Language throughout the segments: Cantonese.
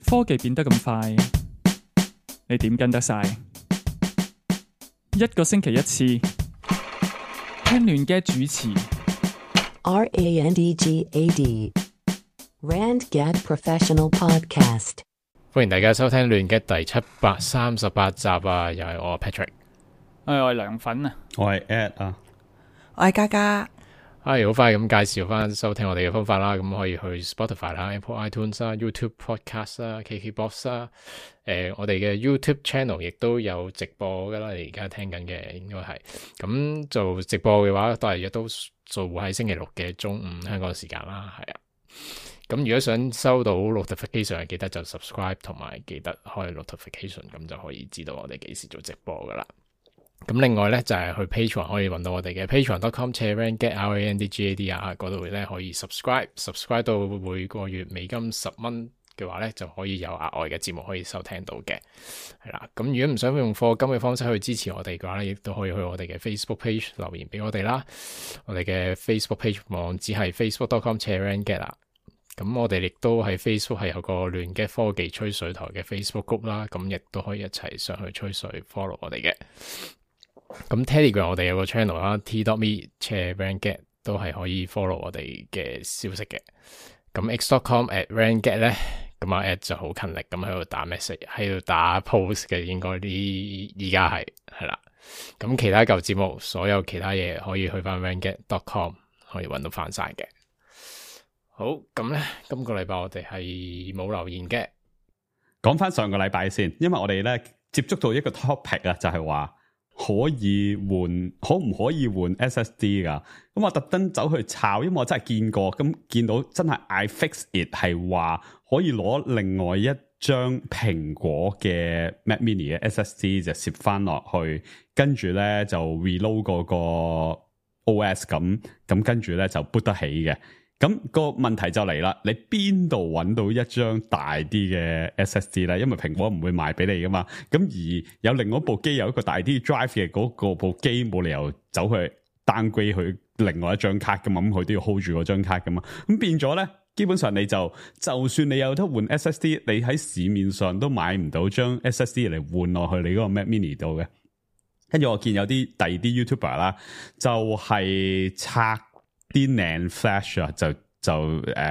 科技變得咁快，你點跟得晒？一個星期一次，聽亂嘅主持。RANDGAD RandGad Professional Podcast。歡迎大家收聽亂嘅第738集啊！又係我 Patrick，我係涼粉啊，我係 Ed 啊，我係嘉嘉。好快咁介紹翻收聽我哋嘅方法啦，咁可以去 Spotify 啦、Apple iTunes 啦、YouTube Podcast 啦、KKBox 啦，我哋嘅 YouTube Channel 亦都有直播噶啦，你而家聽緊嘅應該係咁做直播嘅話，都做喺星期六嘅中午香港時間啦，係啊。咁如果想收到 notification， 記得就 subscribe 同埋記得開 notification， 咁就可以知道我哋幾時做直播噶啦。咁另外咧就係去 Patreon 可以揾到我哋嘅 patreon.com/randgad RANDGAD 啊，嗰度咧可以 subscribe 到每個月美金$10嘅話咧，就可以有額外嘅節目可以收聽到嘅，係啦。咁如果唔想用課金嘅方式去支持我哋嘅話咧，亦都可以去我哋嘅 Facebook page 留言俾我哋啦。我哋嘅 Facebook page 網址係 facebook.com/randgad 啦。咁我哋亦都喺 Facebook 係有個亂嘅科技吹水台嘅 Facebook group 啦，咁亦都可以一齊上去吹水 follow 我哋嘅。咁 Telegram 我哋有個 channel 啦 t.me/randgad 都係可以 follow 我哋嘅消息嘅。咁 x.com/randgad 咧，咁阿 Ed 就好勤力咁喺度打 message， 喺度打 post 嘅，應該依家係啦。咁其他舊節目，所有其他嘢可以去翻 randgad.com 可以揾到翻晒嘅。好，咁咧今個禮拜我哋係冇留言嘅。講翻上個禮拜先，因為我哋咧接觸到一個 topic 啊，就係話可唔可以換 SSD 噶？咁我特登走去抄，因為我真係見過，咁見到真係 iFixit 係話可以攞另外一張蘋果嘅 Mac Mini 嘅 SSD 就攝翻落去，跟住咧就 reload 嗰個 OS 咁跟住咧就 boot 得起嘅。咁個問題就嚟啦，你邊度揾到一張大啲嘅 SSD 咧？因為蘋果唔會賣俾你噶嘛。咁而有另外一部機有一個大啲 drive 嘅嗰個部機，冇理由走去 downgrade 去另外一張卡噶嘛。咁佢都要 hold 住嗰張卡噶嘛。咁變咗咧，基本上你就算你有得換 SSD， 你喺市面上都買唔到張 SSD 嚟換落去你嗰個 Mac Mini 度嘅。跟住我見有啲第二啲 YouTuber 啦，就係拆啲 NAND flash 啊，就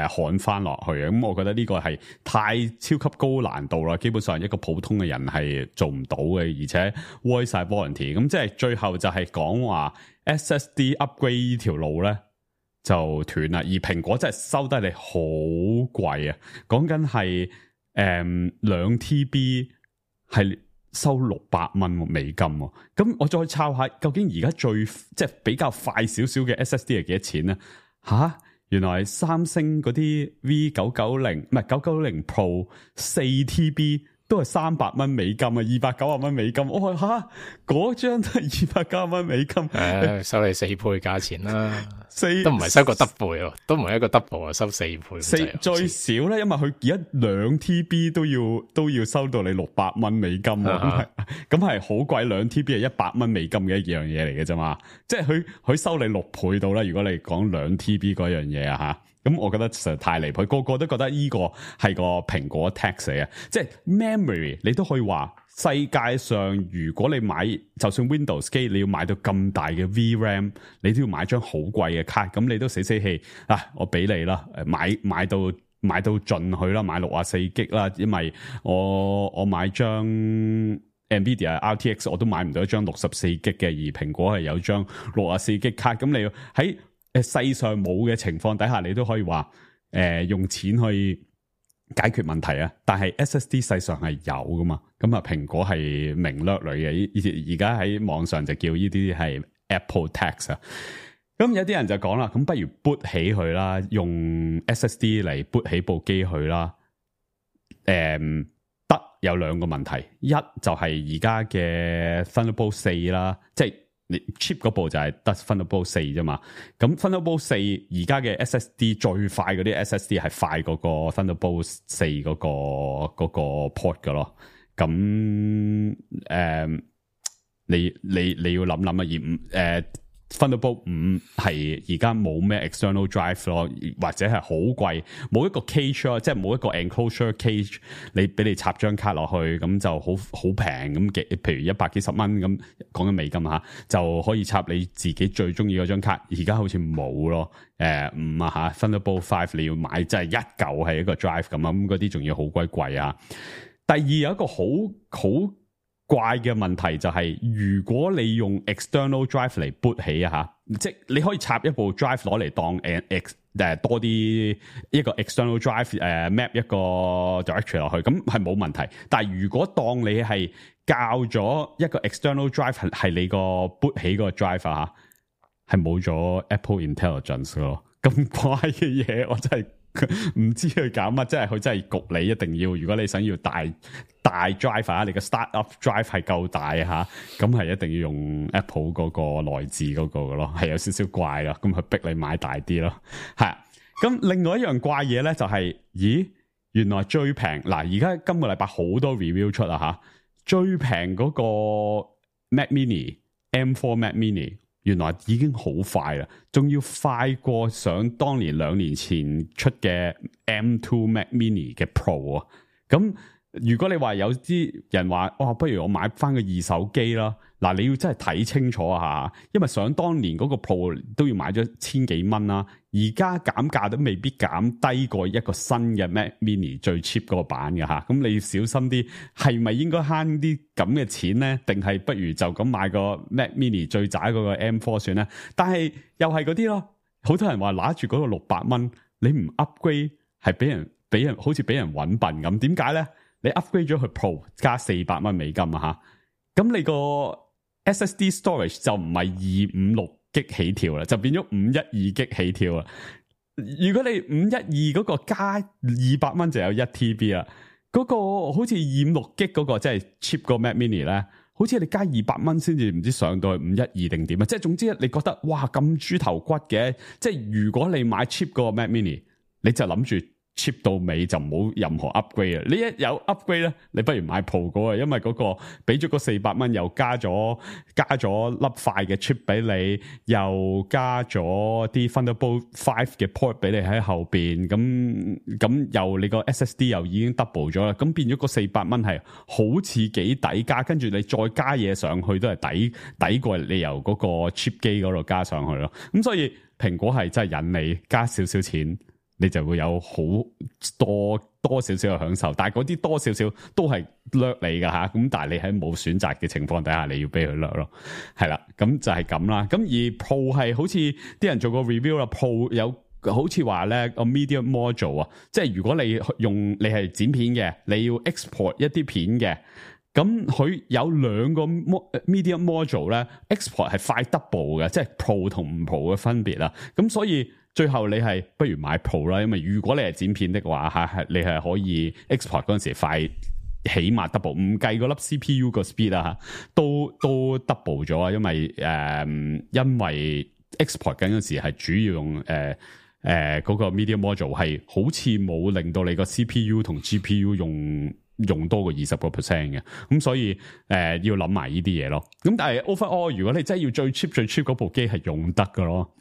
焊翻落去啊！咁我覺得呢個係太超級高難度啦，基本上一個普通嘅人係做唔到嘅，而且 void 晒 warranty。咁即係最後就係講話 SSD upgrade 呢條路咧就斷啦，而蘋果真係收得你好貴啊！講緊係2 TB 係收$600美金喎，咁我再抄下究竟而家即係比較快少少嘅 SSD 係幾多錢咧？原來三星嗰啲 V990 唔係990 Pro 4 TB 都係$300美金啊，$290美金。我話嗰張都係$290美金，收你4倍價錢啦，都唔係收個 double 喎，都唔係一個 double 啊，收4倍。最少咧，因為佢而家2 TB 都要收到你$600美金喎，咁係好貴。2 TB 係$100美金嘅一樣嘢嚟嘅啫嘛，即係佢收你6倍到啦。如果你講2 TB 嗰樣嘢啊咁我覺得實在太離譜，個個都覺得呢個係個蘋果 tax 嚟啊！即係 memory 你都可以話，世界上如果你買就算 Windows 機，你要買到咁大嘅 VRAM， 你都要買張好貴嘅卡，咁你都死氣我俾你啦，買到盡去啦，買64GB啦，因為我買張 Nvidia RTX 我都買唔到一張64GB嘅，而蘋果係有張64GB卡，咁你要喺世上冇嘅情況底下，你都可以話用錢去解決問題啊！但係 SSD 世上係有噶嘛，咁啊蘋果係明掠女嘅，而家喺網上就叫呢啲係 Apple Tax 啊！咁有啲人就講啦，咁不如 boot 起佢啦，用 SSD 嚟 boot 起部機佢啦。得有兩個問題，一就係而家嘅 Thunderbolt 4啦，即係你 cheap 嗰部就係得 Thunderbolt 4啫嘛，咁 Thunderbolt 4而家嘅 SSD 最快嗰啲 SSD 係快過個 Thunderbolt 4嗰個 port 噶咯，咁你要諗諗啊， Thunderbolt 5係而家冇咩 external drive 咯，或者係好貴，冇一個 cage 咯，即係冇一個 enclosure cage，你俾你插張卡落去，咁就好平咁嘅，譬如100幾十蚊咁講緊美金嚇，就可以插你自己最中意嗰張卡。而家好似冇咯，5啊嚇 Thunderbolt 5你要買即係一嚿係一個 drive 咁啊，咁嗰啲仲要好鬼貴啊。第二有一個好怪嘅問題就係，如果你用 external drive 嚟 boot 起啊嚇，即係你可以插一部 drive 攞嚟當多啲一個 external drive map 一個 directory 落去，咁係冇問題。但係如果當你係校咗一個 external drive 係你個 boot 起個 drive 啊嚇，係冇咗 Apple Intelligence 咯，咁怪嘅嘢我真係唔知佢搞乜，即係佢真係焗你一定要，如果你想要大 drive 啊，你個 startup drive 係夠大吓，咁係一定要用 Apple 嗰個內置嗰個嘅咯，係有少少怪咯，咁佢逼你買大啲咯，係。咁另外一樣怪嘢咧就係，咦，原來最平嗱，而家今個禮拜好多 review 出啦吓，最平嗰個 Mac Mini M4 Mac Mini。原來已經好快啦，仲要快過想當年2年前出嘅 M2 Mac Mini 嘅 Pro 啊！咁如果你話有啲人話，哇，不如我買翻個二手機啦，嗱，你要真係睇清楚啊嚇，因為想當年嗰個 Pro 都要買咗千幾蚊啦，而家減價都未必減低過一個新嘅 Mac Mini 最 cheap 嗰個版嘅嚇，咁你要小心啲，係咪應該慳啲咁嘅錢咧？定係不如就咁買個 Mac Mini 最渣嗰個 M4 算咧？但係又係嗰啲咯，好多人話拿住嗰個600蚊，你唔 upgrade 係俾人好似俾人揾笨咁，點解咧？你 upgrade 咗去 Pro 加400蚊美金啊吓，咁你個 SSD storage 就唔係256G 起跳啦，就變咗512G 起跳啦。如果你512嗰個加200蚊就有1TB 啦，嗰個好似256G 嗰個即係 cheap 個 Mac Mini 咧，好似你加200蚊先至唔知上到去512定點啊！即係總之你覺得哇咁豬頭骨嘅，即係如果你買 cheap 嗰個 Mac Mini，你就諗住cheap 到尾就冇任何 upgrade 啊！你一有 upgrade 咧，你不如買 Pro 嗰個，因為嗰個俾咗個400蚊，又加咗粒快嘅 chip 俾你，又加咗啲 Thunderbolt 5嘅 port 俾你喺後邊，咁又你個 SSD 又已經 double 咗啦，咁變咗個400蚊係好似幾抵加，跟住你再加嘢上去都係抵過你由嗰個 chip 機嗰度加上去咯。咁所以蘋果係真係引你加少少錢，你就會有好多少少嘅享受，但係嗰啲多少少都係掠你噶吓，咁但係你喺冇選擇嘅情況底下，你要俾佢掠咯，係啦，咁就係咁啦。咁而 Pro 係好似啲人做過 review 啦 ，Pro 有好似話咧個 media module 啊，即係如果你係剪片嘅，你要 export 一啲片嘅，咁佢有2個 media module 咧 ，export 係快 double 嘅，即係 Pro 同唔 Pro 嘅分別啦。咁所以最後你係不如買 Pro 啦，因為如果你係剪片的話嚇，你係可以 export 嗰陣時快起碼 double， 唔計嗰粒 CPU 個 speed 啊嚇，都 double 咗啊，因為 export 緊嗰時係主要用嗰個 media module 係好似冇令到你個 CPU 同 GPU 用多過20%嘅，咁所以要諗埋呢啲嘢咯。咁但係 overall 如果你真係要最 cheap 嗰部機係用得㗎咯。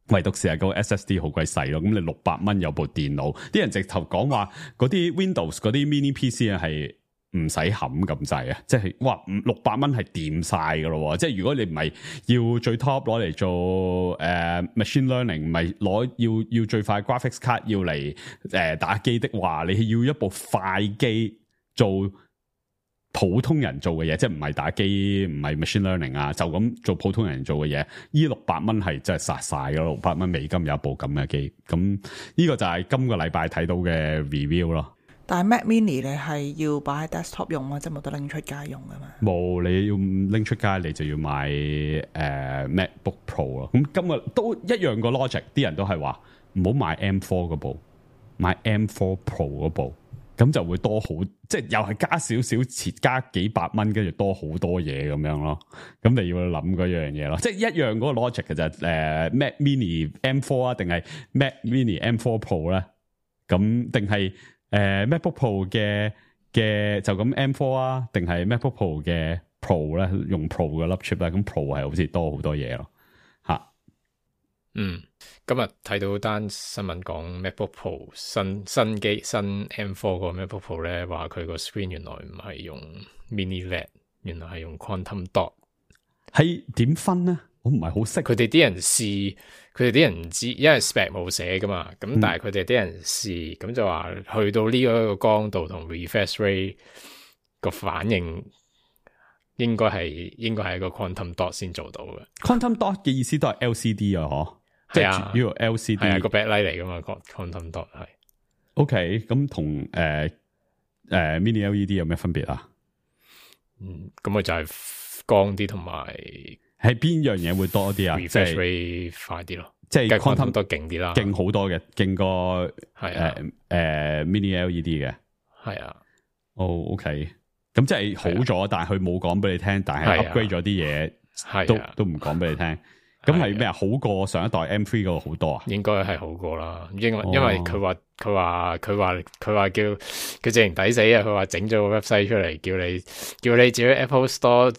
唯獨是係個 SSD 好鬼細咯，咁你600蚊有部電腦，啲人直頭講話嗰啲 Windows 嗰啲 mini PC 啊係唔使冚咁滯啊，即係哇600蚊係掂晒噶咯，即係如果你唔係要最 top 攞嚟做machine learning，唔係要最快 graphics card 要嚟打機的話，你要一部快機做普通人做嘅嘢，即係唔係打機，唔係 machine learning 啊，就咁做普通人做嘅嘢，呢600蚊係真係殺晒㗎咯，600蚊美金有一部咁嘅機，咁呢個就係今個禮拜睇到嘅 review 咯。但係 Mac Mini 你係要擺喺 desktop 用啊，即係冇得拎出街用噶嘛？冇，你要拎出街你就要買MacBook Pro 咯。咁今日都一樣個 logic， 啲人都係話唔好買 M4 嗰部，買 M4 Pro 嗰部。咁就會多好，即係又係加少少錢，加幾百蚊，跟住多好多嘢咁樣咯。咁你要諗嗰樣嘢咯，即係一樣嗰個 logic 嘅就Mac Mini M4 啊，定係 Mac Mini M4 Pro 咧？咁定係MacBook Pro 嘅就咁 M4 啊？定係 MacBook Pro 嘅 Pro 咧？用 Pro 嘅粒 chip 咧？咁 Pro 係好似多好多嘢咯。今日睇到單新聞講 MacBook Pro 新機新 M4 個 MacBook Pro 咧，話佢個 screen 原來唔係用 Mini LED， 原來係用 Quantum Dot。係點分咧？我唔係好識。佢哋啲人試，佢哋啲人唔知，因為 spec 冇寫噶嘛。咁但係佢哋啲人試，咁就話去到呢個光度同 refresh rate 個反應。應該係一個 quantum dot 先做到嘅。quantum dot 嘅意思都係 LCD 啊，嗬？係啊，主要 LCD 係啊，個 backlight 嚟噶嘛 ，quantum dot 係。OK， 咁同mini LED 有咩分別啊？咁咪就係光啲，同埋係邊樣嘢會多啲啊？ refresh rate 快啲咯，即係 quantum dot 勁啲啦，勁好多嘅，勁過係mini LED 嘅。係啊。OK。咁即係好咗，但係佢冇講俾你聽，但係 upgrade 咗啲嘢，都唔講俾你聽。咁係咩啊？好過上一代 M3 嗰個好多啊？應該係好過啦，因為佢話叫佢直情抵死啊！佢話整咗個 website 出嚟，叫你自己 Apple Store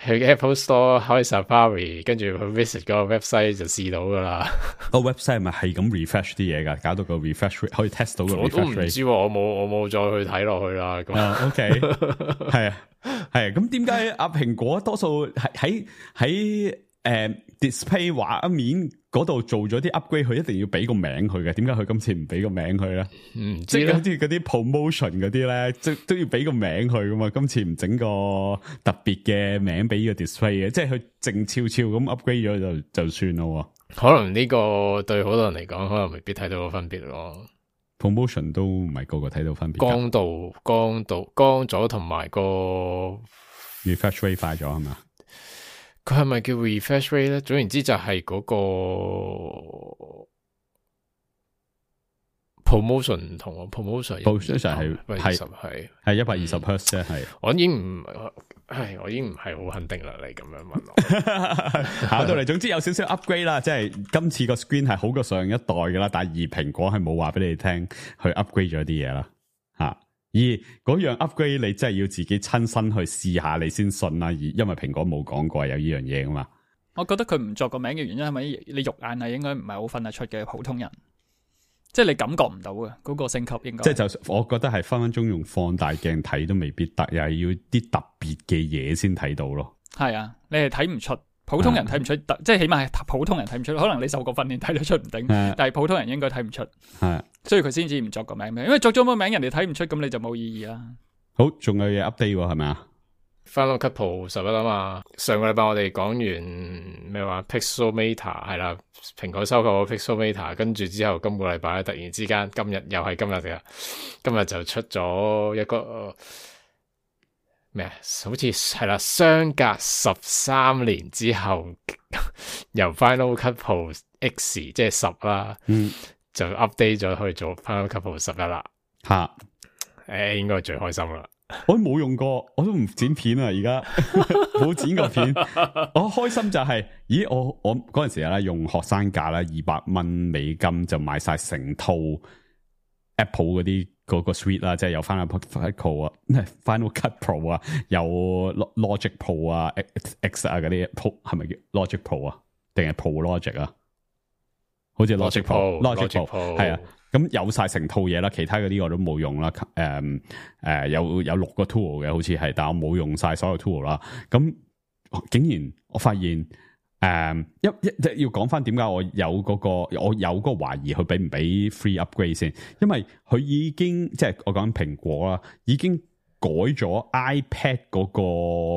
去 Apple Store 開 Safari， 跟住去 visit 嗰個 website 就試到噶啦。個 website 咪係咁 refresh 啲嘢噶，搞到個 refresh rate 可以 test 到個 refresh rate。我都唔知，我冇再去睇落去啦。OK， 係啊。咁點解阿蘋果多數喺display 畫面嗰度做咗啲 upgrade， 佢一定要俾個名佢嘅？點解佢今次唔俾個名佢咧？即係好似嗰啲 promotion 嗰啲咧，都要俾個名佢噶嘛？今次唔整個特別嘅名俾個 display 嘅，即係佢靜悄悄咁 upgrade 咗就算咯。可能呢個對好多人嚟講，可能未必睇到個分別咯。promotion 都唔係個個睇到分別。光咗同埋個 refresh rate 快咗係嘛？佢係咪叫 refresh rate 咧？總言之就係嗰個 promotion 唔同啊 ，promotion 係 120Hz 啫，係。我已經唔係好肯定啦，你咁樣問我。考到嚟，總之有少少 upgrade 啦，即係今次個 screen 係好過上一代噶啦，但係而蘋果係冇話俾你聽去 upgrade 咗啲嘢啦，吓。而嗰樣 upgrade 你真係要自己親身去試下你先信啦，而因為蘋果冇講過有呢樣嘢噶嘛。我覺得佢唔作個名嘅原因係咪你肉眼係應該唔係好分得出嘅普通人，即係你感覺唔到嘅嗰個升級應該。即係就我覺得係分分鐘用放大鏡睇都未必得，又係要啲特別嘅嘢先睇到咯。係啊，你係睇唔出。普通人睇唔出，即係起碼係普通人睇唔出，可能你受過訓練睇得出唔定，但係普通人應該睇唔出，所以佢先至唔作個名，因為作咗個名人哋睇唔出，咁你就冇意義啦。好，仲有嘢 update 係咪啊？Final Cut Pro 11啊嘛，上個禮拜我哋講完咩話 Pixelmator 係啦，蘋果收購個 Pixelmator， 跟住之後今個禮拜突然之間今日又係今日嘅，今日就出咗一個。咩？好似係啦，相隔13年之後，由 Final Cut Pro X 即係10啦，就 update 咗去做 Final Cut Pro 11啦。吓，應該係最開心啦。我都冇用過，我都唔剪片啊，而家冇剪過片。我開心就係，咦？我嗰陣時咧用學生價啦，$200美金就買晒成套 Apple 嗰啲。嗰個 suite 啦，即係有 Final Cut Pro 啊，Final Cut Pro 啊，有 Logic Pro 啊 ，X 啊嗰啲 Pro 係咪叫 Logic Pro 啊？定係 Pro Logic 啊？好似 Logic Pro 係啊，咁有晒成套嘢啦，其他嗰啲我都冇用啦。有6個 tool 嘅，好似係，但我冇用晒所有 tool 啦。咁竟然我發現。要講翻點解我有嗰個懷疑佢俾唔俾 free upgrade 先，因為佢已經即係我講蘋果啦，已經改咗 iPad 嗰個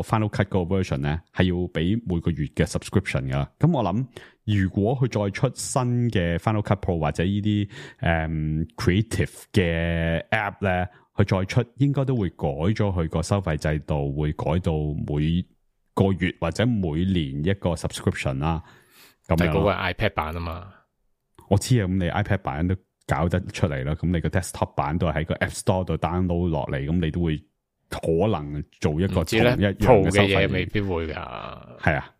Final Cut 嗰個 version 咧，係要俾每個月嘅 subscription 噶。咁我諗如果佢再出新嘅 Final Cut Pro 或者呢啲creative 嘅 app 咧，佢再出應該都會改咗佢個收費制度，會改到每個月或者每年一個 subscription 啦，咁樣。嗰個係 iPad 版啊嘛，我知啊。咁你 iPad 版都搞得出嚟啦，咁你個 desktop 版都係喺個 App Store 度 download 落嚟，咁你都會可能做一個同一樣嘅收費嘅嘢，未必會噶。係啊，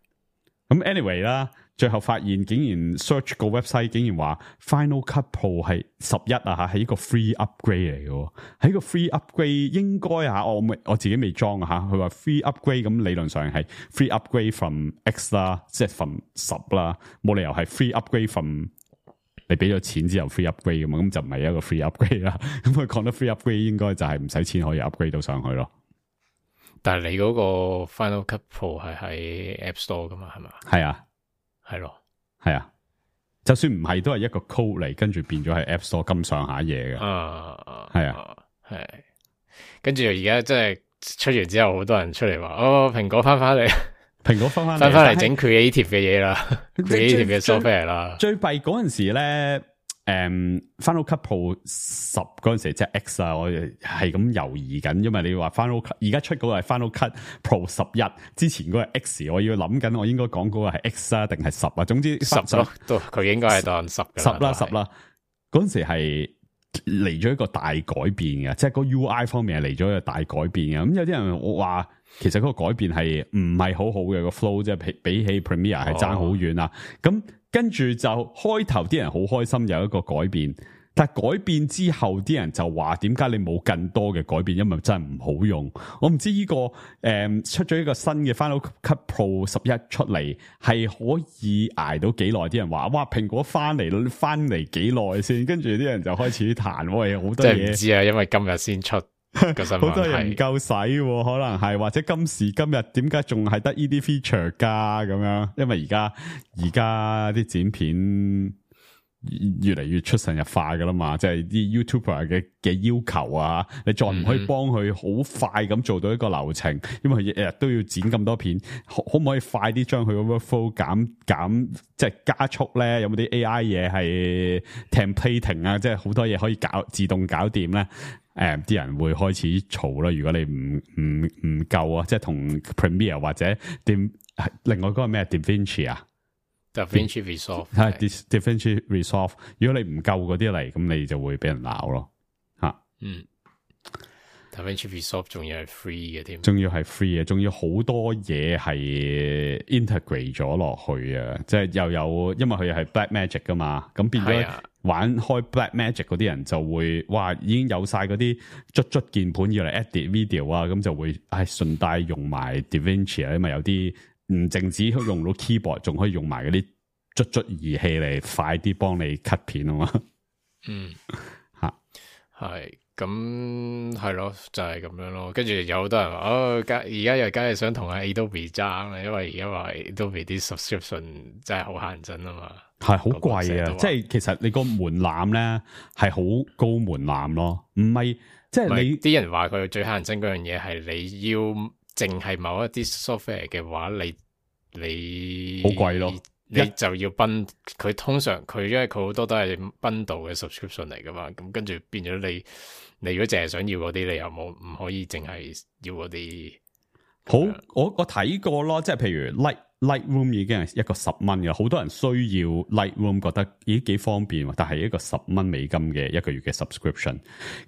咁 anyway 啦，最後發現竟然 search 個 website 竟然話 Final Cut Pro 係11啊，係一個 free upgrade 嚟嘅，係一個 free upgrade 應該啊，我自己未裝啊吓，佢話 free upgrade 咁理論上係 free upgrade from X 啦，即係 from 10啦，冇理由係 free upgrade from 你俾咗錢之後 free upgrade 嘅嘛，咁就唔係一個 free upgrade 啦。咁佢講得 free upgrade 應該就係唔使錢可以 upgrade 到上去咯。但係你嗰個 Final Cut Pro 係喺 App Store 噶嘛？係嘛？係啊，係咯，係啊。就算唔係，都係一個 code 嚟，跟住變咗係 App Store 咁上下嘢嘅。係啊，係。跟住而家即係出完之後，好多人出嚟話：哦，蘋果翻嚟，蘋果翻嚟整 creative 嘅嘢啦，creative 嘅 software 啦。最弊嗰陣時咧。Final Cut Pro 10嗰陣時即係 X 啊，我係咁猶豫緊，因為你話 Final Cut 而家出嗰個係 Final Cut Pro 11，之前嗰個係 X， 我要諗緊我應該講嗰個係 X 啊定係10啊，總之10咯，都佢應該係當10嘅10啦，嗰陣時係嚟咗一個大改變嘅，即係個 UI 方面係嚟咗一個大改變嘅。咁有啲人話其實嗰個改變係唔係好好嘅，個 flow 即係比起 Premiere 係爭好遠啊。咁跟住就開頭啲人好開心有一個改變，但係改變之後啲人就話點解你冇更多嘅改變，因為真係唔好用。我唔知呢個出咗一個新嘅 Final Cut Pro 11出嚟係可以捱到幾耐？啲人話哇蘋果翻嚟幾耐先？跟住啲人就開始彈，喂，好多嘢。即係唔知啊，因為今日先出。好多人唔夠使，可能係或者今時今日點解仲係得呢啲 feature 㗎咁樣？因為而家啲剪片越嚟越出神入化㗎啦嘛，即係啲 YouTuber 嘅要求啊，你再唔可以幫佢好快咁做到一個流程，因為佢日日都要剪咁多片，可唔可以快啲將佢個 workflow 減即係加速咧？有冇啲 AI 嘢係 templating 啊？即係好多嘢可以自動搞掂咧？啲人會開始嘈啦。如果你唔夠啊，即係同 Premiere 或者另外嗰個咩 DaVinci 啊 ，DaVinci Resolve 係 DaVinci Resolve。如果你唔夠嗰啲嚟，咁你就會俾人鬧咯。吓，DaVinci Resolve 仲要係 free 嘅添，仲要係 free 嘅，仲要好多嘢係 integrate 咗落去啊！即係又有，因為佢係 Blackmagic 噶嘛，咁變咗。玩開 Blackmagic 嗰啲人就會哇已經有晒嗰啲捽鍵盤要嚟 edit video 啊，咁就會順帶用埋 DaVinci 啊，因為有啲唔淨止用到 keyboard， 仲可以用埋嗰啲捽儀器嚟快啲幫你 cut 片啊嘛。係咁係咯，就係咁樣咯。跟住有好多人話而家又梗係想同阿 Adobe 爭啦，因為而家話 Adobe 啲 subscription 真係好限真啊嘛。係好貴啊！即係其實你個門檻咧係好高門檻咯，唔係即係你啲人話佢最乞人憎嗰樣嘢係你要淨係某一啲 software 嘅話，你好貴咯，你就要佢通常佢因為佢好多都係 bundle 嘅 subscription 嚟噶嘛，咁跟住變咗你如果淨係想要嗰啲，你又唔可以淨係要嗰啲。好，我睇過咯，即係譬如 Lightroom 已經係一個10蚊嘅，好多人需要 Lightroom 覺得咦幾方便，但係一個$10嘅一個月嘅 subscription，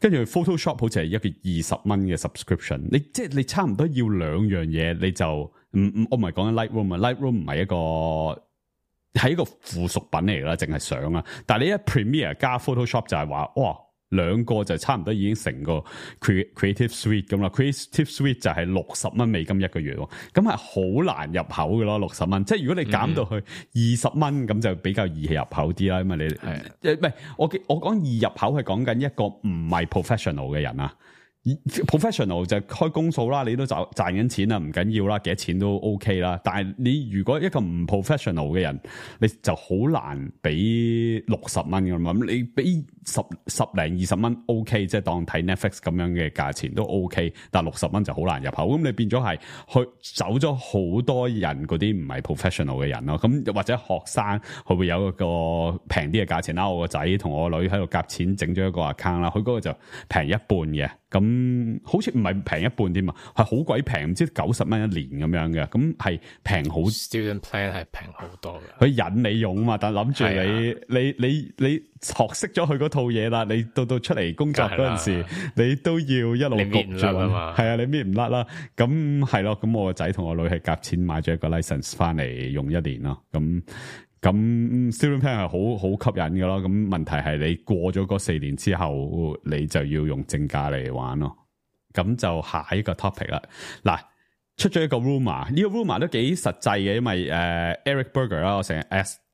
跟住 Photoshop 好似係一個$20嘅 subscription， 你差唔多要兩樣嘢，你就我唔係講緊 Lightroom 啊 ，Lightroom 唔係一個附屬品嚟啦，淨係相啊，但係你一 Premiere 加 Photoshop 就係話哇。兩個就差唔多已經成個 Creative Suite 咁啦 ，Creative Suite 就係$60一個月，咁係好難入口嘅咯，$60，即係如果你減到去$20咁就比較易入口啲啦，因為你唔係我講易入口係講緊一個唔係 professional 嘅人啊。professional 就開公數啦，你都賺緊錢啦，唔緊要啦，幾多錢都 OK 啦。但係你如果一個唔 professional 嘅人，你就好難俾$60噶嘛。你俾10零20蚊 OK， 即係當睇 Netflix 咁樣嘅價錢都 OK， 但係$60就好難入口。咁你變咗係去走咗好多人嗰啲唔係 professional 嘅人咯。咁或者學生佢會有一個平啲嘅價錢啦。我個仔同我女喺度夾錢整咗一個 account 啦，佢嗰個就平一半嘅。咁好似唔係平一半添啊，係好鬼平，唔知90蚊一年咁樣嘅，咁係平好。Student plan 係平好多嘅，佢引你用嘛，但諗住你學識咗佢嗰套嘢啦，你到出嚟工作嗰陣時，你都要一路焗住啊嘛，係啊，你搣唔甩啦，咁係咯，咁我個仔同我女係夾錢買咗一個 license 翻嚟用一年咯，咁 student plan 係好吸引嘅咯，咁問題係你過咗嗰4年之後，你就要用正價嚟玩咯，咁就下一個 topic 啦，嗱。出咗一個 rumor， 呢個 rumor 都幾實際嘅，因為Eric Berger 啦，我成日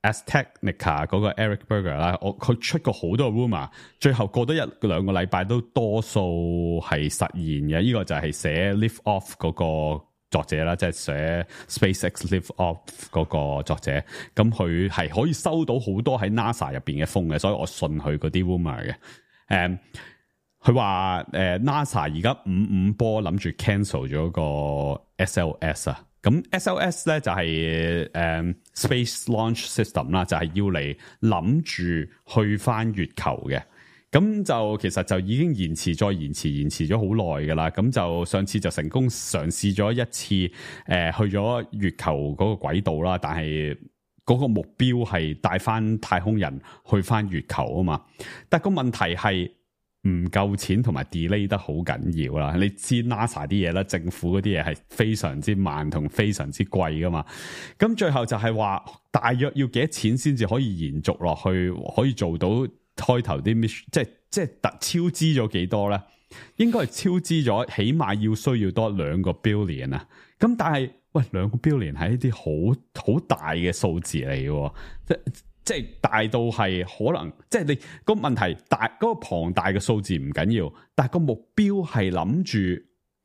Aztechnica 嗰個 Eric Berger 啦，佢出過好多 rumor， 最後過多1-2個禮拜都多數係實現嘅。呢個就係寫 Lift Off 嗰個作者啦，即係寫 SpaceX Lift Off 嗰個作者，咁佢係可以收到好多喺 NASA 入邊嘅風嘅，所以我信佢嗰啲 rumor 嘅。佢話NASA 而家55波諗住 cancel 咗個 SLS 啊，咁 SLS 咧就係Space Launch System 啦，就係要嚟諗住去翻月球嘅，咁就其實就已經延遲咗好耐噶啦，咁就上次就成功嘗試咗一次去咗月球嗰個軌道啦，但係嗰個目標係帶翻太空人去翻月球啊嘛，但個問題係唔夠錢同埋 delay 得好緊要啦，你知 NASA 啲嘢啦，政府嗰啲嘢係非常之慢同非常之貴噶嘛，咁最後就係話大約要幾多錢先至可以延續落去，可以做到開頭啲 mission， 即係超支咗幾多咧？應該係超支咗，起碼需要多2個 billion 啊！咁但係喂，2個 billion 係一啲好大嘅數字嚟嘅，即係大到係可能，即係你個問題大，嗰個龐大嘅數字唔緊要，但係個目標係諗住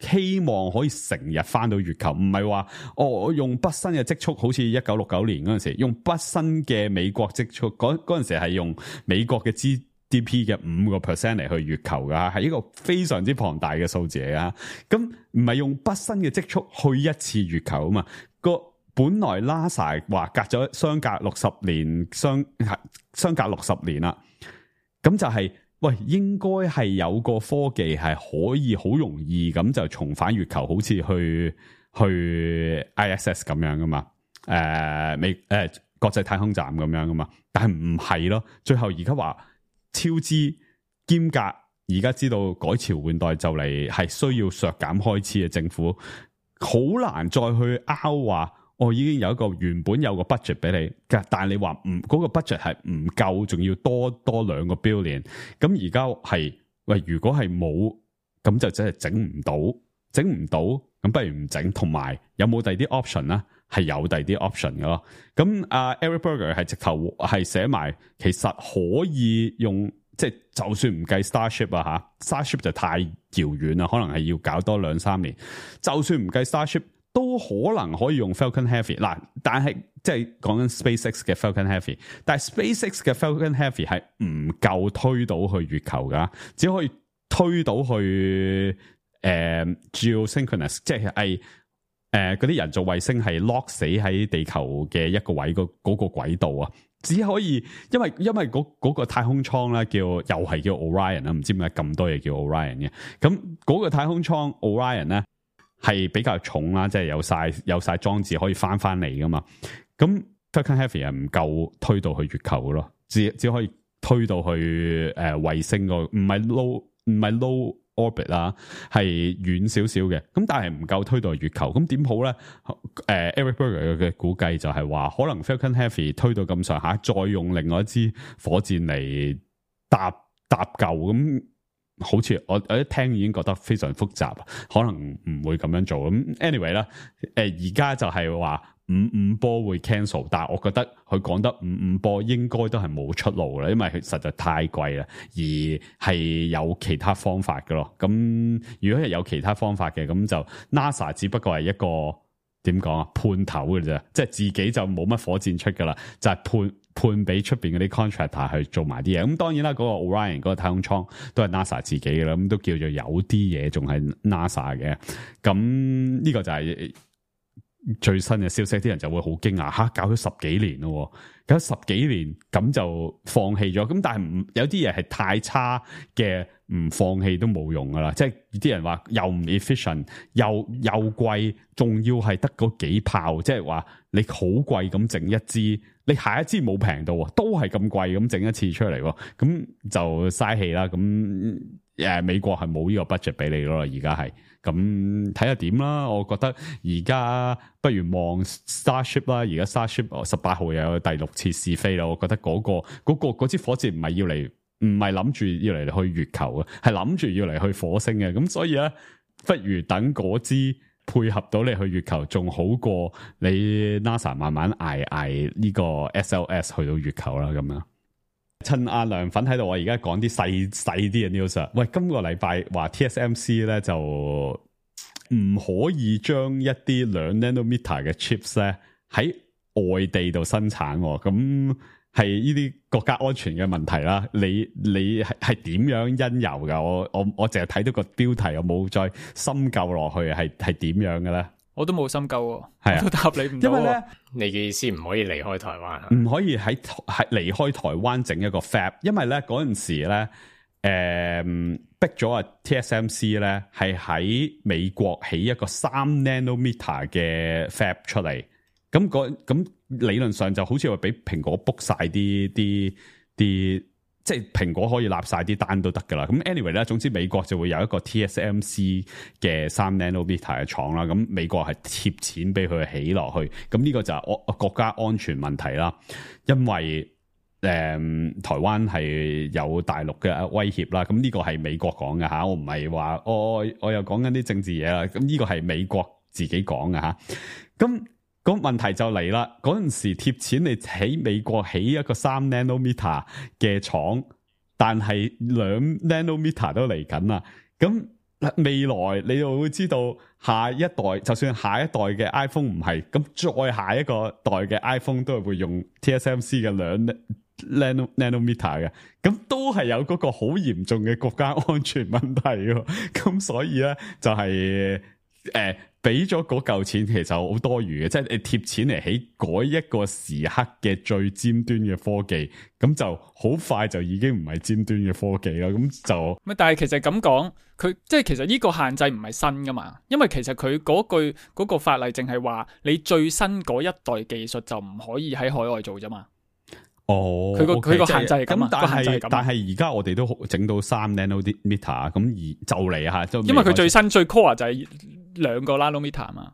希望可以成日翻到月球，唔係話我用畢生嘅積蓄，好似1969年嗰陣時用畢生嘅美國積蓄，嗰陣時係用美國嘅GDP 嘅5% 嚟去月球噶，係一個非常之龐大嘅數字嚟噶。咁唔係用畢生嘅積蓄去一次月球啊嘛，本來 NASA 話相隔60年，相隔60年啦，咁就係喂，應該係有個科技係可以好容易咁就重返月球，好似去 ISS 咁樣噶嘛，國際太空站咁樣噶嘛，但係唔係咯，最後而家話超支兼隔，而家知道改朝換代就嚟係需要削減開支嘅政府，好難再去拗話。我已經有一個原本有個 budget 俾你，但係你話嗰個 budget 係唔夠，仲要多2個 billion。咁而家係喂，如果係冇，咁就真係整唔到，咁不如唔整。同埋有冇第二啲 option 咧？係有第二啲 option 嘅咯。咁Eric Berger 係直頭係寫埋，其實可以用，即係就算唔計 Starship 啊吓 Starship 就太遙遠啦，可能係要搞多2-3年。就算唔計 Starship。都可能可以用 Falcon Heavy 嗱，但係即係講緊 SpaceX 嘅 Falcon Heavy， 但係 SpaceX 嘅 Falcon Heavy 係唔夠推到去月球噶，只可以推到去geosynchronous， 即係嗰啲人造衛星係 lock 死喺地球嘅一個位嗰個軌道啊，只可以因為嗰個太空艙咧又係叫 Orion 啦，唔知點解咁多嘢叫 Orion 嘅，咁嗰個太空艙 Orion 咧。係比較重啦，即係有晒裝置可以翻嚟噶嘛。咁 Falcon Heavy 係唔夠推到去月球嘅咯，只可以推到去衛星個，唔係 low orbit 啦，係遠少少嘅。咁但係唔夠推到去月球，咁點好咧？Eric Berger 嘅估計就係話，可能 Falcon Heavy 推到咁上下，再用另外一支火箭嚟搭救咁。好似我一聽已經覺得非常複雜，可能唔會咁樣做咁。anyway 啦，而家就係話55波會 cancel， 但係我覺得佢講得55波應該都係冇出路啦，因為佢實在太貴啦，而係有其他方法嘅咯。咁如果係有其他方法嘅，咁就 NASA 只不過係一個點講啊，判頭嘅啫，即係自己就冇乜火箭出噶啦，就係判俾出邊嗰啲 contractor 去做埋啲嘢。咁當然啦，嗰個 Orion 嗰個太空艙都係 NASA 自己嘅啦，咁都叫做有啲嘢仲係 NASA 嘅。咁呢個就係最新嘅消息，啲人就會好驚訝吓，搞咗10幾年咯，搞咗10幾年咁就放棄咗。咁但係有啲嘢係太差嘅，唔放棄都冇用噶啦。即係啲人話又唔 efficient， 又貴，仲要係得嗰幾炮，即係話你好貴咁整一支，你下一支冇平到，都係咁貴咁整一次出嚟，咁就嘥氣啦。咁美國係冇呢個 budget 俾你咯，而家係。咁睇下點啦，我覺得而家不如望 Starship 啦，而家 Starship 18號又有第6次試飛啦，我覺得嗰支火箭唔係諗住要嚟去月球嘅，係諗住要嚟去火星嘅，咁所以咧，不如等嗰支配合到你去月球，仲好過你 NASA 慢慢捱呢個 SLS 去到月球啦，咁樣。趁阿涼粉喺度，我而家講啲細啲嘅 news。喂，今個禮拜話 TSMC 咧就唔可以將一啲2 nanometer 嘅 chips 咧喺外地度生產，咁係呢啲國家安全嘅問題啦。你係點樣因由噶？我淨係睇到個標題，我冇再深究落去，係點樣嘅咧？我都冇深究喎，係啊，我都答你唔到。因為咧，你嘅意思唔可以離開台灣，唔可以喺離開台灣整一個 fab， 因為咧嗰陣時咧，逼咗啊 TSMC 咧係喺美國起一個3 nanometer 嘅 fab 出嚟，咁理論上就好似話俾蘋果 book 晒啲。即係蘋果可以立晒啲單都得噶啦，咁 anyway 咧，總之美國就會有一個 TSMC 嘅3 nanometer 嘅廠啦，咁美國係貼錢俾佢起落去，咁呢個就係國家安全問題啦，因為台灣係有大陸嘅威脅啦，咁呢個係美國講嘅吓，我唔係話我又講緊啲政治嘢啦，咁呢個係美國自己講嘅吓，咁。咁問題就嚟啦！嗰陣時貼錢你喺美國起一個3 nanometer 嘅廠，但係2 nanometer 都嚟緊啦。咁未來你就會知道下一代，就算下一代嘅 iPhone 唔係，咁再下一個代嘅 iPhone 都係會用 TSMC 嘅2 nanometer 嘅，咁都係有嗰個好嚴重嘅國家安全問題喎。咁所以咧就係俾咗嗰嚿錢其實好多餘嘅，即係你貼錢嚟起嗰一個時刻嘅最尖端嘅科技，咁就好快就已經唔係尖端嘅科技啦。咁就但係其實咁講，佢即係其實呢個限制唔係新噶嘛，因為其實佢嗰個法例淨係話你最新嗰一代技術就唔可以喺海外做啫嘛。哦，佢個限制係咁啊，但係而家我哋都整到3 nanometer 咁而就嚟吓，因為佢最新最 core 就係2個 nanometer 嘛，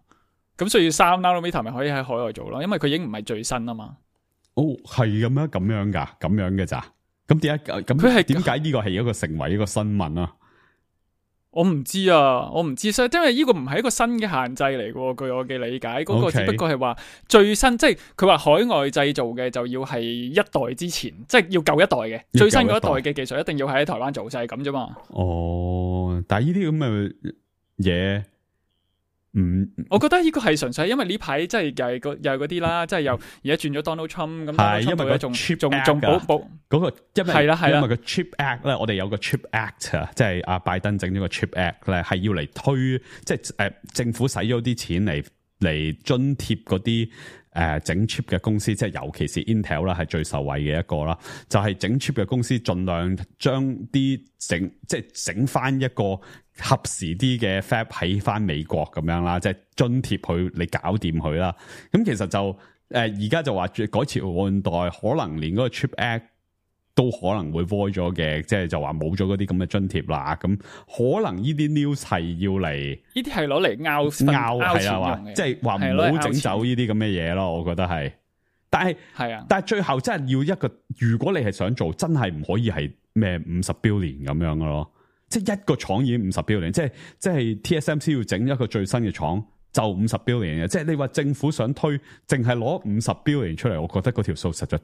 咁所以3 nanometer 咪可以喺海外做咯，因為佢已經唔係最新啊嘛。哦，係咁樣噶，咁樣嘅咋？咁點解咁？佢係點解呢個係一個成為一個新聞啊？我唔知啊，所以因為呢個唔係一個新嘅限制嚟嘅，據我嘅理解，嗰個只不過係話最新，即係佢話海外製造嘅就要係一代之前，即係要舊一代嘅最新嗰一代嘅技術一定要喺台灣做，就係咁啫嘛。哦，但係呢啲咁嘅嘢。我覺得呢個係純粹因為呢排即係又係嗰啲啦，即係又而家轉咗 Donald Trump 咁，係因為個仲 Chip 保嗰個，因為係啦，因為個 Chip Act 咧，我哋有個 Chip Act 啊，即係阿拜登整咗個 Chip Act 咧，係要嚟推，即係政府使咗啲錢嚟津貼嗰啲整 chip 嘅公司，即係尤其是 Intel 啦，係最受惠嘅一個啦。就係整 chip 嘅公司，盡量將啲整翻一個合時啲嘅 fab 喺翻美國咁樣啦，即係津貼佢，你搞掂佢啦。咁其實就而家就話改朝換代，可能連嗰個 Chip Act 都可能會 void 咗嘅，即係就話冇咗嗰啲咁嘅津貼啦。咁可能呢啲 news 係要嚟，呢啲係攞嚟拗係啦，即係話唔好整走呢啲咁嘅嘢咯。我覺得係，但係最後真係要一個，如果你係想做，真係唔可以係咩50 billion 咁樣嘅咯。即係一個廠已經50 billion，即係 TSMC 要整一個最新嘅廠就50 billion 嘅。即係你話政府想推，淨係攞50 billion 出嚟，我覺得嗰條數實在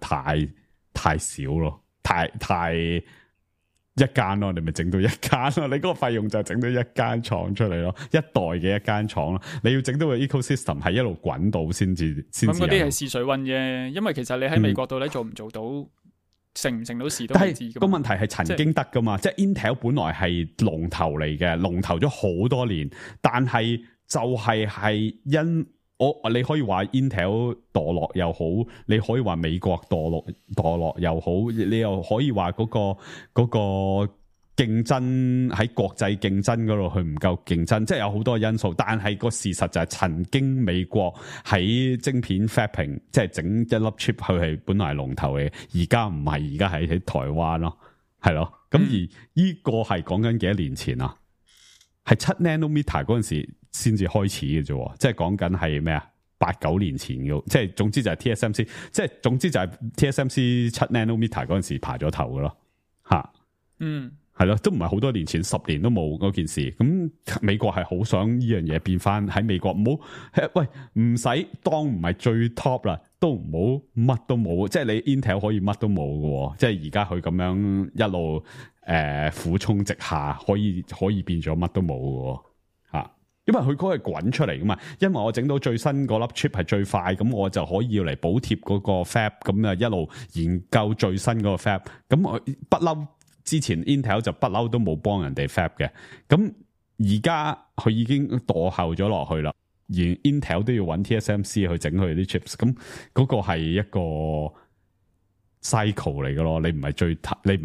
太少咯。太一間咯，你咪整到一間咯，你嗰個費用就整到一間廠出嚟咯，一代嘅一間廠咯，你要整到個 ecosystem 係一路滾到先至。咁嗰啲係試水溫啫，因為其實你喺美國度咧做唔做到，成唔成到事都唔知。但係個問題係曾經得噶嘛，即係 Intel 本來係龍頭嚟嘅，龍頭咗好多年，但係就係因你可以話 Intel 墮落又好，你可以話美國墮落又好，你又可以話嗰個競爭喺國際競爭嗰度佢唔夠競爭，即係有好多因素。但係個事實就係曾經美國喺晶片 fapping， 即係整一粒 chip 佢係本來係龍頭嘅，而家唔係，而家係喺台灣咯，係咯。咁而呢個係講緊幾多年前啊？係7 nanometer 嗰陣時先至開始嘅啫，即係講緊係咩啊？8、9年前嘅，即係總之就係 TSMC， 即係總之就係 TSMC 7 nanometer 嗰陣時爬咗頭嘅咯，吓，係咯，都唔係好多年前，10年都冇嗰件事。咁美國係好想呢樣嘢變翻喺美國，唔好喂，唔使當唔係最 top 啦，都唔好乜都冇，即係你 Intel 可以乜都冇嘅，即係而家佢咁樣一路俯衝直下，可以變咗乜都冇嘅吓，因為佢嗰個係滾出嚟噶嘛，因為我整到最新嗰粒 chip 係最快，咁我就可以要嚟補貼嗰個 fab， 咁啊一路研究最新嗰個 fab， 咁我不嬲。之前 Intel 就不嬲都冇幫人哋 fab 嘅，咁而家佢已經墮後咗落去啦，而 Intel 都要揾 TSMC 去整佢啲 chips， 咁嗰個係一個 cycle 嚟嘅咯，你唔係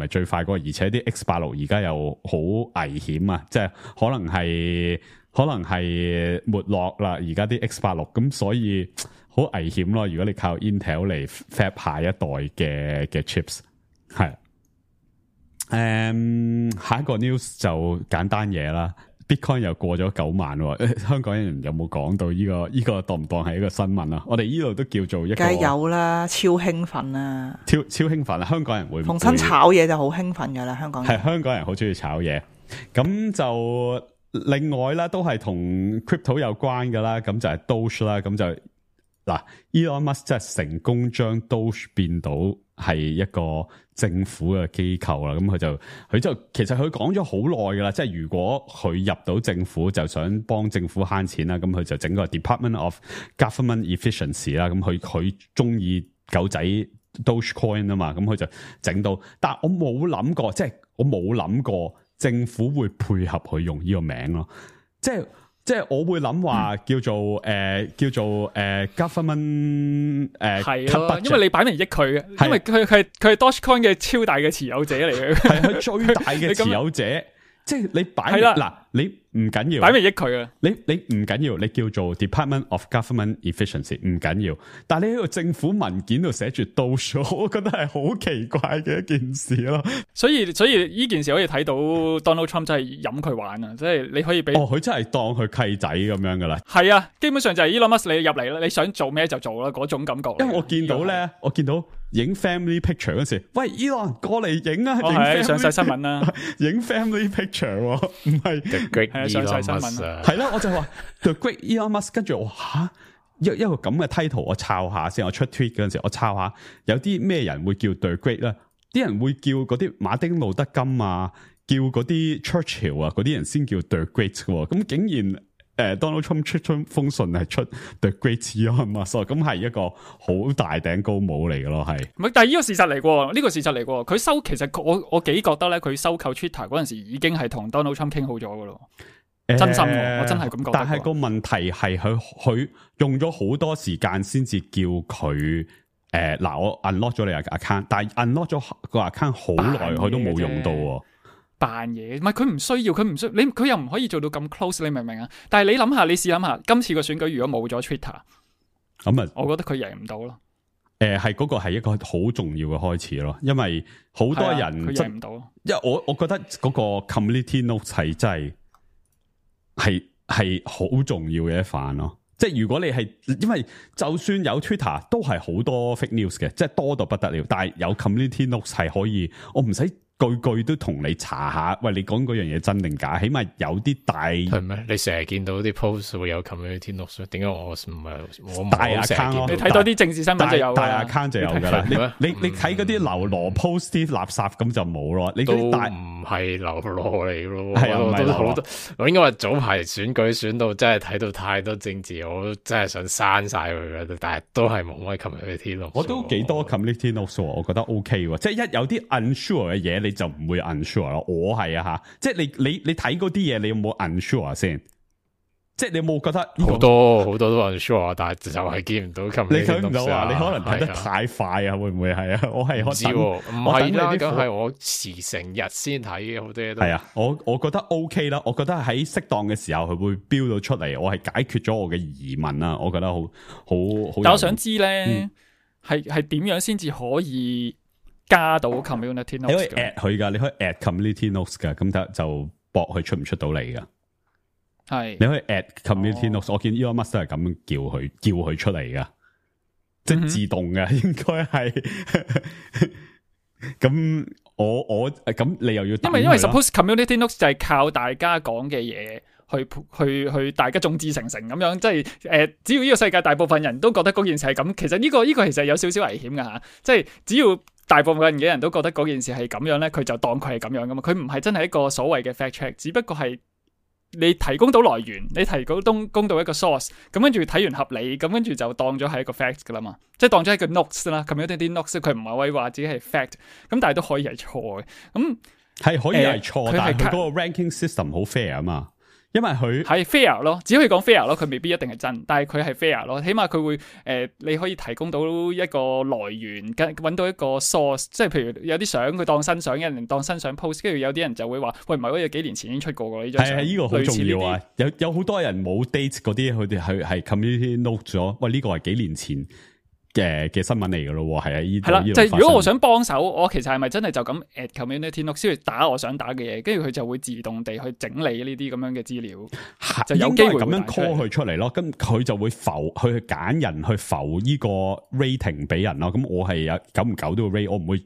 最快嗰個，而且啲 X86 而家又好危險啊，即係可能係沒落啦，而家啲 X86， 咁所以好危險咯，如果你靠 Intel 嚟 fab 下一代嘅 chips， 係。下一個 news 就簡單嘢啦 ，Bitcoin 又過咗9萬喎，香港人有冇講到呢個當唔當係一個新聞啊？我哋呢度都叫做一個，梗係有啦，超興奮啊！超興奮啊！香港人會逢親炒嘢就好興奮噶啦，香港人係香港人好中意炒嘢，咁就另外啦，都係同 crypto 有關噶啦，咁就係 Doge 啦，咁就嗱 Elon Musk 真係成功將 Doge 變到係一個政府嘅機構啦，咁佢就其實佢講咗好耐噶啦，即係如果佢入到政府就想幫政府慳錢啦，咁佢就整個 Department of Government Efficiency 啦，咁佢中意狗仔 Dogecoin 啊嘛，咁佢就整到，但係我冇諗過，即係我冇諗過政府會配合佢用呢個名咯，即係我會諗話叫做 government 係咯，因為你擺明益佢嘅，因為佢係 Dogecoin 嘅超大嘅持有者嚟嘅，係佢最大嘅持有者，即係你擺嗱你唔緊要，擺明益佢啊！你唔緊要，你叫做 Department of Government Efficiency 唔緊要，但係你喺個政府文件度寫住 Doge， 我覺得係好奇怪嘅一件事咯。所以呢件事可以睇到 Donald Trump 真係飲佢玩啊！即係你可以俾佢真係當佢契仔咁樣噶啦。係啊，基本上就係 Elon Musk 你入嚟啦，你想做咩就做啦，嗰種感覺。因為我見到咧，我見到影 family picture 嗰時，喂 Elon 過嚟影啊！係上晒新聞啦，影 family picture 唔係。上晒新聞係啦，我就話 The Great Elon Musk， 跟住我一個咁嘅 title， 我抄下先。我出 tweet 嗰陣時，我抄下有啲咩人會叫 The Great 咧？啲人會叫嗰啲馬丁路德金啊，叫嗰啲 Churchill 啊，嗰啲人先叫 The Great 嘅。咁竟然Donald Trump 出封信係出 The Great Elon Musk， 咁係一個好大頂高帽嚟嘅咯，係。唔係，但係呢個事實嚟嘅，呢個事實嚟嘅。佢其實我幾覺得咧，佢收購 Twitter 嗰陣時已經係同 Donald Trump 傾好咗嘅咯。真心我真係咁覺得。但係個問題係佢用咗好多時間先至叫佢我 unlock 咗你個 account， 但係 unlock 咗個 account 好耐，佢都冇用到。扮嘢，唔係佢唔需要，佢又唔可以做到咁 close， 你明唔明啊？但係你諗下，你試諗下，今次個選舉如果冇咗 Twitter， 咁啊，我覺得佢贏唔到咯。係嗰個係一個好重要嘅開始咯，因為好多人佢贏唔到。因為我覺得嗰個 community notes 係真係好重要嘅一環咯。即係如果你係，因為就算有 Twitter 都係好多 fake news 嘅，即係多到不得了。但係有 community notes 係可以，我唔使句都同你查下，喂，你講嗰樣嘢真定假？起碼有啲大係咩？你成日見到啲 post 會有 community notes， 點解我唔係我大 account？ 你睇多啲政治新聞就有大 account 就有噶啦。你睇嗰啲流羅 post 啲垃圾咁就冇咯。你嗰啲大唔係流羅嚟咯。係啊，唔係好多。我應該話早排選舉選到真係睇到太多政治，我真係想刪晒佢嘅，但係都係冇乜 community notes。我都幾多 community notes， 我覺得 OK 喎。即係一有啲 unsure 嘅嘢，你就唔會 unsure 咯。我係啊吓，即係你睇嗰啲嘢，你有冇 unsure 先？即係你有冇覺得好多都 unsure，但係就係見唔到 community， 你睇唔到啊？你可能睇得太快啊？會唔會係啊？我係唔知喎，唔係啦，咁係我遲成日先睇嘅，好多嘢都係啊。我覺得 OK 啦，我覺得喺適當嘅時候佢會標到出嚟，我係解決咗我嘅疑問啦。我覺得好。但我想知咧，係點樣先至可以加到 community notes？ 你可以 at 佢噶，你可以 at community notes 噶，咁就搏佢出唔出到嚟噶。係，你可以 at community notes，我見 Elon Musk 都係咁叫佢出嚟噶，即係自動嘅，應該係。咁我咁你又要因為 suppose community notes 就係靠大家講嘅嘢去大家眾志成城咁樣，即係只要呢個世界大部分人都覺得嗰件事係咁，其實呢個其實有少少危險噶吓，即係只要大部分嘅人都覺得嗰件事係咁樣咧，佢就當佢係咁樣噶嘛，佢唔係真係一個所謂嘅 fact check， 只不過係。你提供到來源，你提供到一個 source， 咁跟住睇完合理，咁跟住就當咗係一個 fact 噶啦嘛，即係當咗係個 notes 啦，咁有啲 notes 佢唔係可以話自己係 fact， 咁但係都可以係錯嘅，咁係可以係錯，但係佢嗰個 ranking system 好 fair 啊嘛。因為佢係 fair 咯，只可以講 fair 咯，佢未必一定係真，但係佢係 fair 咯，起碼佢會你可以提供到一個來源，揾到一個 source， 即係譬如有啲相佢當新相，有人當新相 post， 跟住有啲人就會話，喂唔係，好似幾年前已經出過㗎呢張相。係呢個好重要啊！有好多人冇 date 嗰啲，佢哋係 community note 咗，喂呢個係幾年前嘅新聞嚟噶咯，係啊，係啦，就係如果我想幫手，我其實係咪真係就咁 at community note 先去打我想打嘅嘢，跟住佢就會自動地去整理呢啲咁樣嘅資料，就有機會咁樣 call 佢出嚟咯。咁佢就會去揀人去浮呢個 rating 俾人咯。咁我係有久唔久都要 rate， 我唔會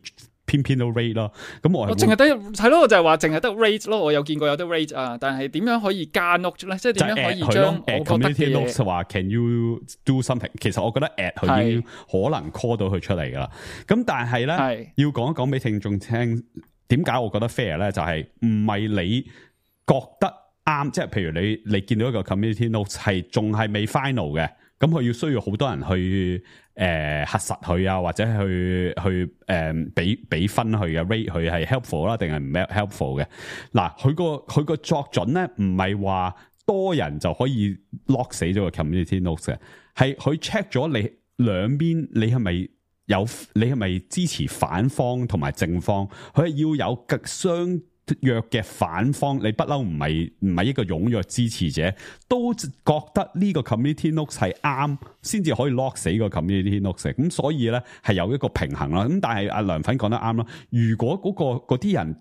偏都 rate 咯。咁我淨係得係咯，我就係話淨係得 rate 咯。我有見過有得 rate 啊，但係點樣可以加 note 咧？即係點樣可以將我覺得嘅嘢話 Can you do something？ 其實我覺得 at 佢已經可能 call 到佢出嚟噶啦。咁但係咧，要講一講俾聽眾聽，點解我覺得 fair 咧？就係唔係你覺得啱，即係譬如你見到一個 community note 係仲係未 final 嘅，咁佢要需要好多人去核實佢啊，或者去俾分佢嘅 rate 佢係 helpful 啦，定係唔 helpful 嘅？嗱，佢個作準咧，唔係話多人就可以 lock 死咗個 community note 嘅，係佢 check 咗你兩邊，你係咪支持反方同埋正方？佢係要有極相弱嘅反方，你不嬲唔係一個踴躍支持者，都覺得呢個 community note 係啱，先至可以 lock 死個 community note。咁所以咧係有一個平衡啦。咁但係阿梁粉講得啱啦，如果嗰啲人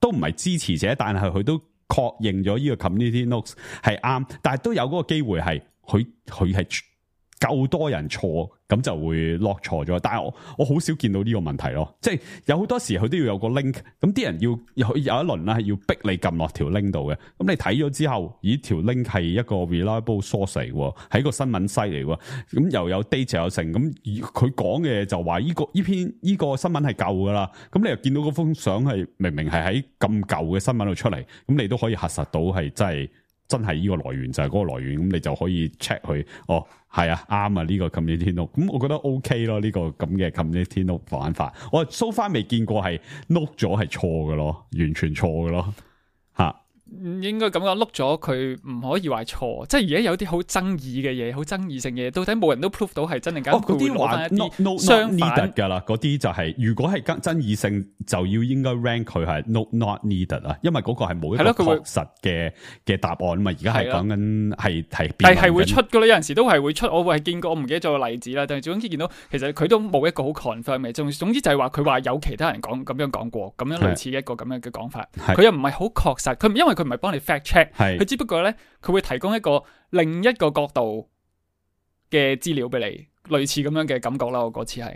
都唔係支持者，但係佢都確認咗呢個 community note 係啱，但係都有嗰個機會係佢係夠多人錯，咁就會落錯咗。但係我好少見到呢個問題咯，即係有好多時佢都要有個 link，咁啲人要有一輪啦，係要逼你撳落條 link 度嘅。咁你睇咗之後，咦條 link 係一個 reliable source 嚟喎，係一個新聞 site 嚟喎，咁又有 data 又成，咁佢講嘅就話呢個新聞係舊噶啦，咁你又見到嗰封相係明明係喺咁舊嘅新聞度出嚟，咁你都可以核實到係真係呢個來源就係嗰個來源，咁你就可以 check 佢，哦係啊啱啊呢個 community note，咁我覺得 OK 咯，呢個咁嘅 community note 玩法，我 so far 未見過係 note 咗係錯嘅咯，完全錯嘅咯吓。應該咁講，碌咗佢唔可以話錯，即係而家有啲好爭議嘅嘢，好爭議性嘅嘢，到底冇人都 prove 到係真定假？嗰啲話 not needed 噶啦，嗰啲就係如果係爭議性，就要應該 rank 佢係 not needed 啊，因為嗰個係冇一個確實嘅答案嘛。而家係講緊係，但係會出噶啦，有陣時都係會出。我係見過，我唔記得咗個例子啦。但係總之見到，其實佢都冇一個好 confirm 嘅。總之就係話佢話有其他人咁樣講過，咁樣類似一個咁樣嘅講法。佢又唔係好確實，佢因為佢唔係幫你 fact check， 佢只不過咧佢會提供一個另一個角度嘅資料俾你，類似咁樣嘅感覺啦。我嗰次係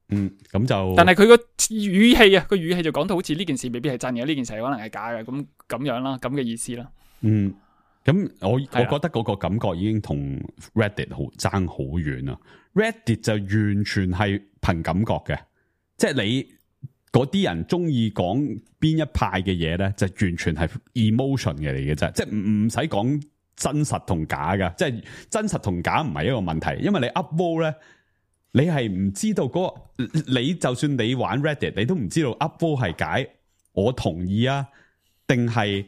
咁就，但係佢個語氣啊，個語氣就講到好似呢件事未必係真嘅，呢件事可能係假嘅，咁樣啦，咁嘅意思啦。咁我覺得嗰個感覺已經同 Reddit 爭好遠啦。Reddit 就完全係憑感覺嘅，即係你嗰啲人中意講邊一派嘅嘢咧，就完全係 emotion 嘅嚟嘅啫，即係唔使講真實同假㗎，即係真實同假唔係一個問題，因為你 upvote 咧，你係唔知道你就算你玩 Reddit， 你都唔知道 upvote 係解我同意啊，定係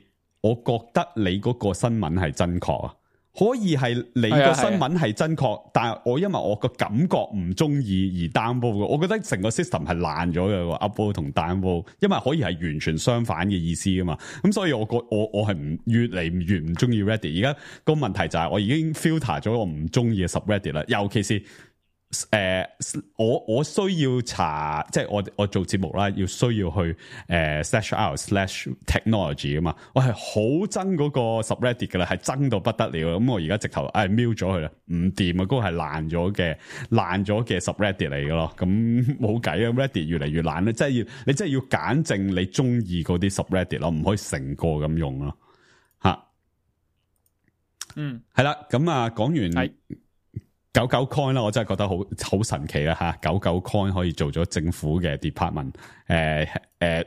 我覺得你嗰個新聞係真確啊。可以係你個新聞係真確，但係因為我個感覺唔中意而 downvote 嘅，我覺得成個 system 係爛咗嘅 upvote 同 downvote，因為可以係完全相反嘅意思噶嘛。咁所以我係越嚟越唔中意 Reddit。而家個問題就係我已經 filter 咗我唔中意嘅 subreddit 啦，尤其是我需要查，即係我做節目啦，要需要去/r/technology 啊嘛，我係好憎嗰個 subreddit 噶啦，係憎到不得了。咁我而家直頭瞄咗佢啦，唔掂啊，嗰個係爛咗嘅 subreddit 嚟噶咯。咁冇計啊 ，Reddit 越嚟越爛咧，你真係要揀正你中意嗰啲 subreddit 咯，唔可以成個咁用咯。吓，係啦，咁啊講完。99coin 啦，我真係覺得好神奇啦吓！99coin 可以做咗政府嘅 department，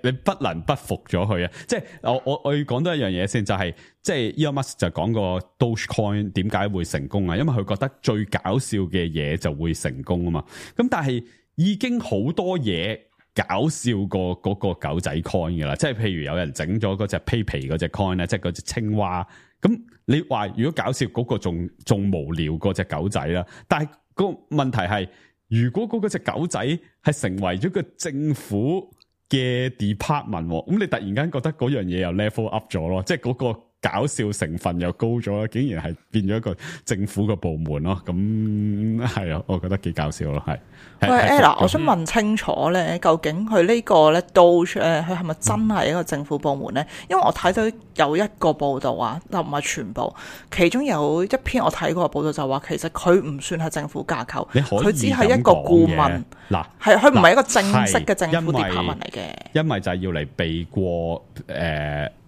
你不能不服咗佢啊！即係我要講多一樣嘢先，就係即係 Elon Musk 就講過 Dogecoin 點解會成功啊？因為佢覺得最搞笑嘅嘢就會成功啊嘛！咁但係已經好多嘢搞笑過嗰個狗仔 coin 噶啦，即係譬如有人整咗嗰隻披皮嗰隻 coin 咧，即係嗰隻青蛙。咁你話如果搞笑嗰個仲無聊過隻狗仔啦，但係個問題係，如果嗰隻狗仔係成為咗個政府嘅 department， 咁你突然間覺得嗰樣嘢又 level up 咗咯，即係嗰個搞笑成分又高咗啦，竟然係變咗一個政府嘅部門咯，咁係啊，我覺得幾搞笑咯，係。喂 Ella， 我想問清楚咧，究竟佢呢個咧 Doge 佢係咪真係一個政府部門咧？因為我睇到有一個報道啊，就唔係全部，其中有一篇我睇過嘅報道就話，其實佢唔算係政府架構，佢只係一個顧問，嗱，係佢唔係一個正式嘅政府 department 嚟嘅。因為就係要嚟避過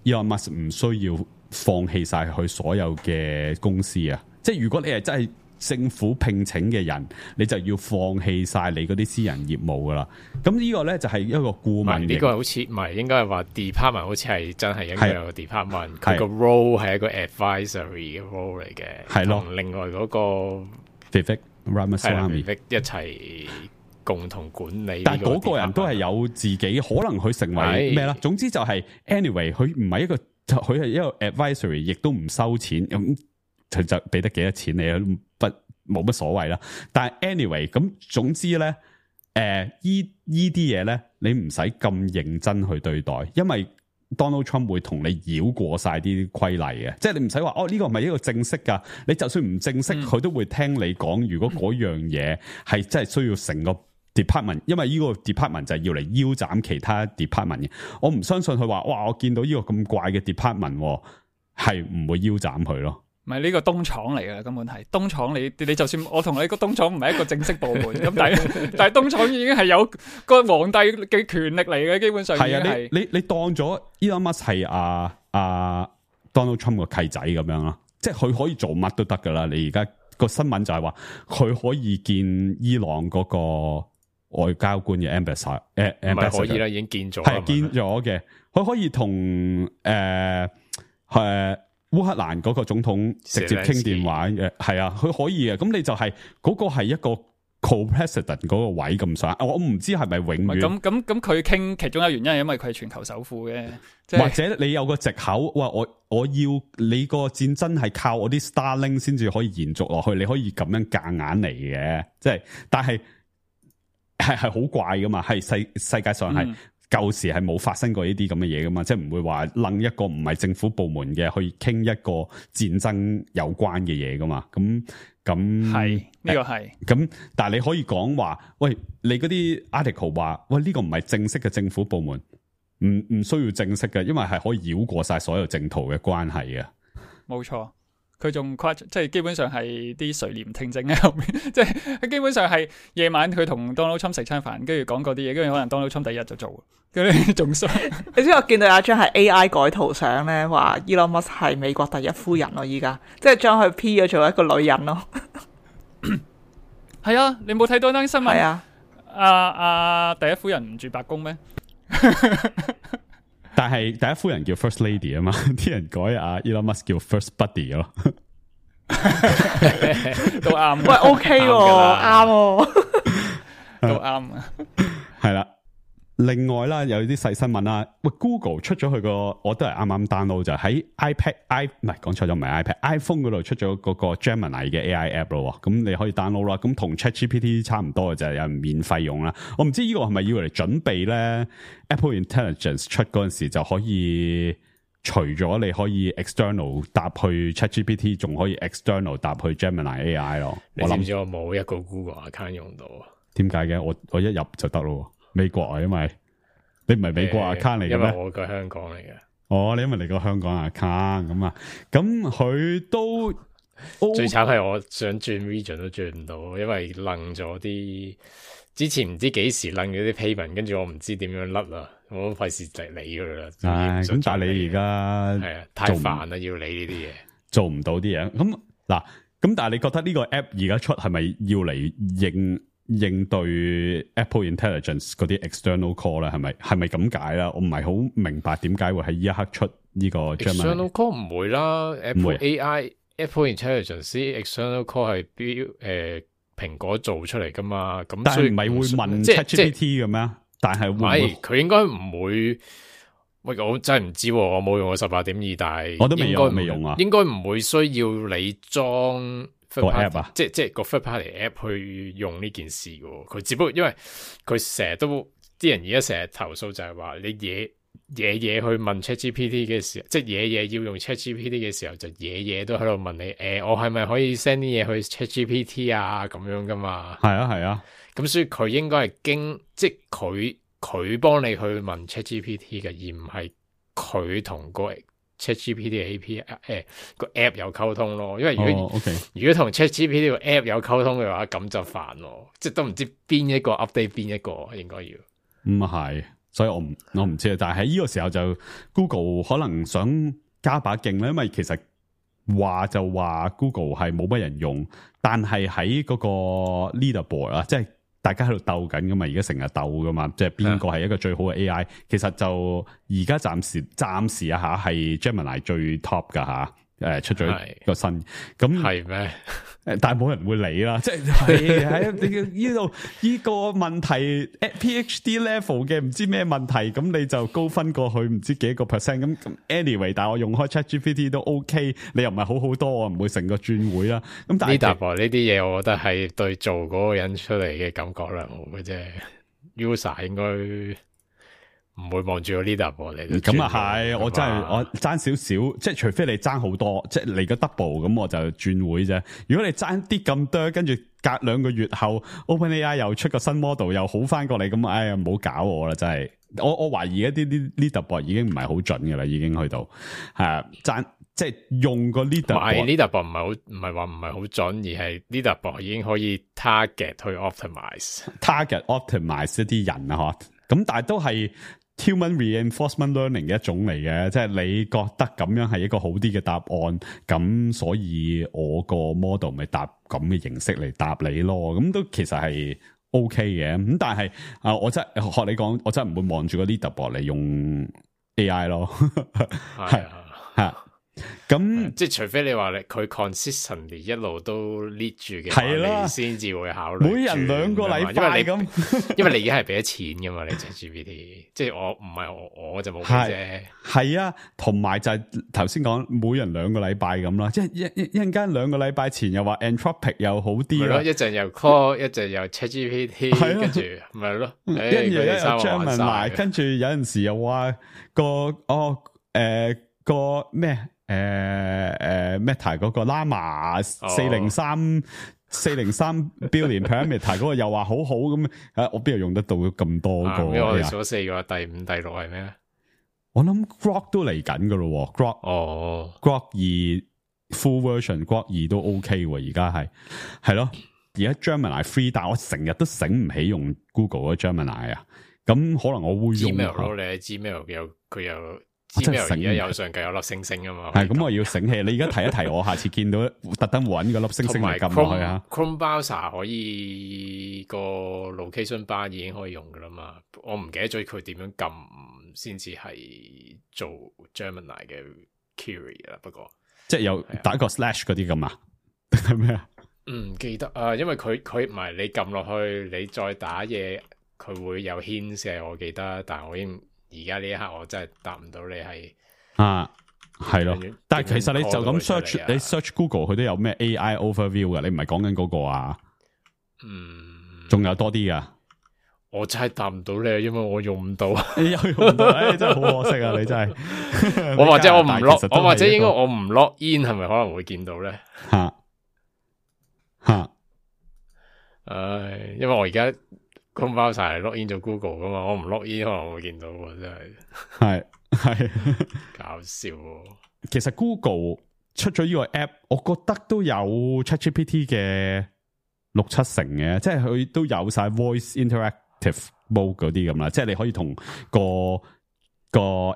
Elon Musk 唔需要放棄晒佢所有嘅公司啊！即係如果你係真係政府聘請嘅人，你就要放棄晒你嗰啲私人業務噶啦。咁呢個咧就係一個顧問。呢個好似唔係應該係話 department， 好似係真係應該有個 department。佢個 role 係一個 advisory 嘅 role 嚟嘅，係咯。同另外嗰個 Vivek Ramaswamy 一齊共同管理。但係嗰個人都係有自己可能佢成為咩啦？總之就係 anyway， 佢唔係一個，佢係一個 advisory， 亦都唔收錢咁。佢就俾得幾多錢你冇乜所謂啦。但係 anyway， 咁總之咧，依啲嘢咧，你唔使咁認真去對待，因為 Donald Trump 會同你繞過晒啲規例嘅，即係你唔使話呢個唔係一個正式噶，你就算唔正式，佢都會聽你講。如果嗰樣嘢係真係需要成個 department， 因為呢個 department 就係要嚟腰斬其他 department 嘅。我唔相信佢話哇，我見到呢個咁怪嘅 department 係唔會腰斬佢咯。唔係呢個東廠嚟嘅，根本係東廠。你就算我同你個東廠唔係一個正式部門，咁但係東廠已經係有個皇帝嘅權力嚟嘅，基本上係啊。你當咗 Elon Musk 係Donald Trump 個契仔咁樣咯，即係佢可以做乜都得噶啦。你而家個新聞就係話佢可以見伊朗嗰個外交官嘅 ambassador， 唔係可以啦，已經見咗，係見咗嘅。佢可以同烏克蘭嗰個總統直接傾電話嘅，係啊，佢可以嘅。咁你就係嗰個係一個 co-president 嗰個位咁上，我唔知係咪永遠。咁佢傾其中一個原因係因為佢係全球首富嘅，或者你有個藉口，哇！我要你個戰爭係靠我啲 Starlink 先至可以延續落去，你可以咁樣夾硬嚟嘅，即係，但係係好怪噶嘛，係世界上係。舊時係冇發生過呢啲咁嘅嘢噶嘛，即係唔會話楞一個唔係政府部門嘅去傾一個戰爭有關嘅嘢噶嘛，咁係呢個係咁，但係你可以講話，喂，你嗰啲 article 話，喂，呢個唔係正式嘅政府部門，唔需要正式嘅，因為係可以繞過晒所有政途嘅關係嘅，冇錯。佢仲誇即係基本上係啲垂簾聽政喺後面，即係基本上係夜晚佢同 Donald Trump 食餐飯，跟住講嗰啲嘢，跟住可能 Donald Trump 第一日就做，跟住仲衰。你知我見到有一張係 AI 改圖相咧，話 Elon Musk 係美國第一夫人咯，依家即係將佢 P 咗做一個女人咯。係啊，你冇睇到單新聞？係啊，第一夫人唔住白宮咩？但係第一夫人叫 First Lady 啊嘛，啲人改Elon Musk 叫 First Buddy 咯，都啱。喂 ，OK 喎，啱喎，都啱啊。係啦，另外啦，有啲細新聞啦。喂 ，Google 出咗佢個，我都係啱啱 download 就喺 iPad，唔係講錯咗，唔係 iPad，iPhone 嗰度出咗嗰個 Gemini 嘅 AI app 咯。咁你可以 download 啦。咁同 ChatGPT 差唔多嘅就係有人免費用啦。我唔知呢個係咪要嚟準備咧 Apple Intelligence 出嗰陣時就可以，除咗你可以 external 搭去 ChatGPT， 仲可以 external 搭去 Gemini AI 咯。你知唔知我冇一個 Google account 用到啊？點解嘅？我一入就得咯。美國啊，因為你唔係美國 account 嚟嘅咩？因為我個香港嚟嘅。哦，你因為你個香港 account 咁啊，咁佢都最慘係我想轉 region 都轉唔到，因為楞咗啲之前唔知幾時楞咗啲 payment， 跟住我唔知點樣甩啦，我都費事嚟理佢啦。唉，咁但係你而家係啊，太煩啦，要理呢啲嘢，做唔到啲嘢。咁嗱，咁但係你覺得呢個 app 而家出係咪要嚟應對 Apple Intelligence 嗰啲 external call 咧？係咪咁解啦？我唔係好明白點解會喺呢一刻出呢個 external call 唔會啦。Apple 唔會 AI、Apple Intelligence external call 係蘋果做出嚟噶嘛？咁但係所以唔係會問 ChatGPT 嘅咩？但係會唔會佢應該唔會。喂，我真係唔知喎，我冇用過18.2，但係我都未用啊。應該唔會需要你裝個 app 啊，即係個 third party app 去用呢件事嘅。佢只不過因為佢成日都啲人而家成日投訴就係話你嘢去問 ChatGPT 嘅時候，即係嘢要用 ChatGPT 嘅時候，就嘢都喺度問你我係咪可以 send 啲嘢去 ChatGPT 啊咁樣噶嘛？係啊，咁所以佢應該係即係佢幫你去問 ChatGPT 嘅，而唔係佢同個 ChatGPT 嘅 API 個 app 有溝通咯。因為如果同 ChatGPT 個 app 有溝通嘅話，咁就煩咯。即係都唔知邊一個 update 邊一個應該要。唔係，所以我唔知啊。但係喺呢個時候就 Google 可能想加把勁咧，因為其實就話 Google 係冇乜人用，但係喺嗰個 leaderboard 啊，即係。大家喺度鬥緊噶嘛，而家成日鬥噶嘛，即係邊個係一個最好嘅 AI？其實就而家暫時一下係 Gemini 最 top 噶吓，出咗個新咁係咩？但係冇人會理啦，即係喺呢度呢個問題 PhD level 嘅唔知咩問題，咁你就高分過去唔知幾個 percent 咁 anyway， 但係我用開 ChatGPT 都 OK， 你又唔係好多，我唔會成個轉會啦。咁但係呢啲嘢，我覺得係對做嗰個人出嚟嘅感覺良好嘅啫。user 應該唔會望住個 leaderboard 嚟。咁啊係，我真係我爭少少，即係除非你爭好多，即係嚟個 double 咁，我就轉會啫。如果你爭啲咁多，跟住隔2個月後 OpenAI 又出個新 model 又好翻過嚟，咁哎呀唔好搞我啦，真係。我懷疑一啲 leaderboard 已經唔係好準嘅啦，已經去到係爭即係用個 leaderboard 唔係話唔係好準，而係 leaderboard 已經可以 target 去 optimize 一啲人啊，咁但係都係 human reinforcement learning 嘅一種嚟嘅，即係你覺得咁樣係一個好啲嘅答案，咁所以我個 model 咪答咁嘅形式嚟答你咯，咁都其實係 OK 嘅，咁但係我真係學你講，我真係唔會望住個 leaderboard 嚟用 AI 咯，係啊。咁即係除非你話佢 consistently 一路都 lead 住嘅話，你先至會考慮。每人2個禮拜咁，因為你而家係俾咗錢噶嘛，你 ChatGPT， 即係我唔係我就冇俾啫。係啊，同埋就係頭先講每人2個禮拜咁啦，即係一陣間2個禮拜前又話 Anthropic 又好啲啦，一陣又 call， 一陣又 ChatGPT， 跟住咪係咯，一又 Gemini， 跟住有陣時又話個咩Meta 嗰個 Llama 403 billion parameter 嗰個又話好好咁，我邊度用得到咁多個？我哋數4個，第5、第6係咩？我諗 Grok 都嚟緊噶咯，Grok 2 full version Grok 2都 OK 喎，而家係咯，而家 Gemini free， 但我成日都醒唔起用 Google 嘅 Gemini 啊，咁可能我會用 Gmail 咯，你喺 Gmail 佢有。Gmail 而家右上角有粒星星啊嘛，係咁我要醒起，你而家提一提我，下次見到特登搵個粒星星嚟撳落去啊。Chrome browser 可以個 location bar 已經可以用噶啦嘛，我唔記得咗佢點樣撳先至係做 Gemini 嘅 query 啦。不過即係有打個 slash 嗰啲咁啊，定係咩啊？唔記得啊，因為佢唔係你撳落去，你再打嘢。佢會有牽涉，我記得，但係我已經而家呢一刻我真係答唔到你係係咯。但係其實你就咁 search， 你 search Google 佢都有咩 AI overview 㗎，你唔係講緊嗰個啊？仲有多啲噶。我真係答唔到你，因為我用唔到。你又用唔到，真係好可惜啊！你真係，我或者我唔 log， 我或者應該我唔 log in， 係咪可能會見到咧？唉，因為我而家 Chrome browser 係 log in 咗 Google 噶嘛，我唔 log in 可能會見到喎，真係係搞笑喎。其實 Google 出咗呢個 app， 我覺得都有 ChatGPT 嘅6-7成嘅，即係佢都有晒 voice interactive mode 嗰啲咁啦，即係你可以同個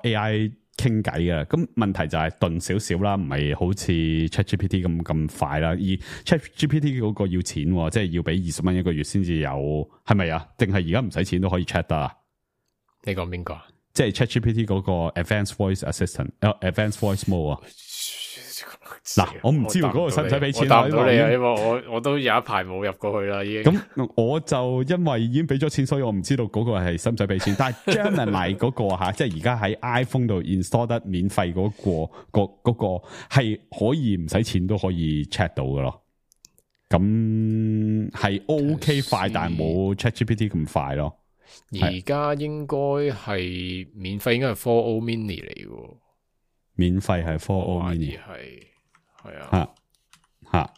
AI 傾偈嘅。咁問題就係頓少少啦，唔係好似 ChatGPT 咁快啦。而 ChatGPT 嗰個要錢，即係要俾20蚊一個月先至有，係咪啊？定係而家唔使錢都可以 chat 得啊？你講邊個啊？即係 ChatGPT 嗰個 Advanced Voice Assistant、Advanced Voice Mode 啊？嗱，我唔知道嗰個使唔使俾錢，我答唔到你啊，因為我都有一排冇入過去啦，已經。咁我就因為已經俾咗錢，所以我唔知道嗰個係使唔使俾錢。但係 Gemini 嗰個吓，即係而家喺 iPhone 度 install 得免費嗰個係可以唔使錢都可以 check 到嘅咯。咁係 OK 快，但係冇 ChatGPT 咁快咯。而家應該係免費，應該係 4O Mini 嚟嘅。免費係 4O Mini 係啊，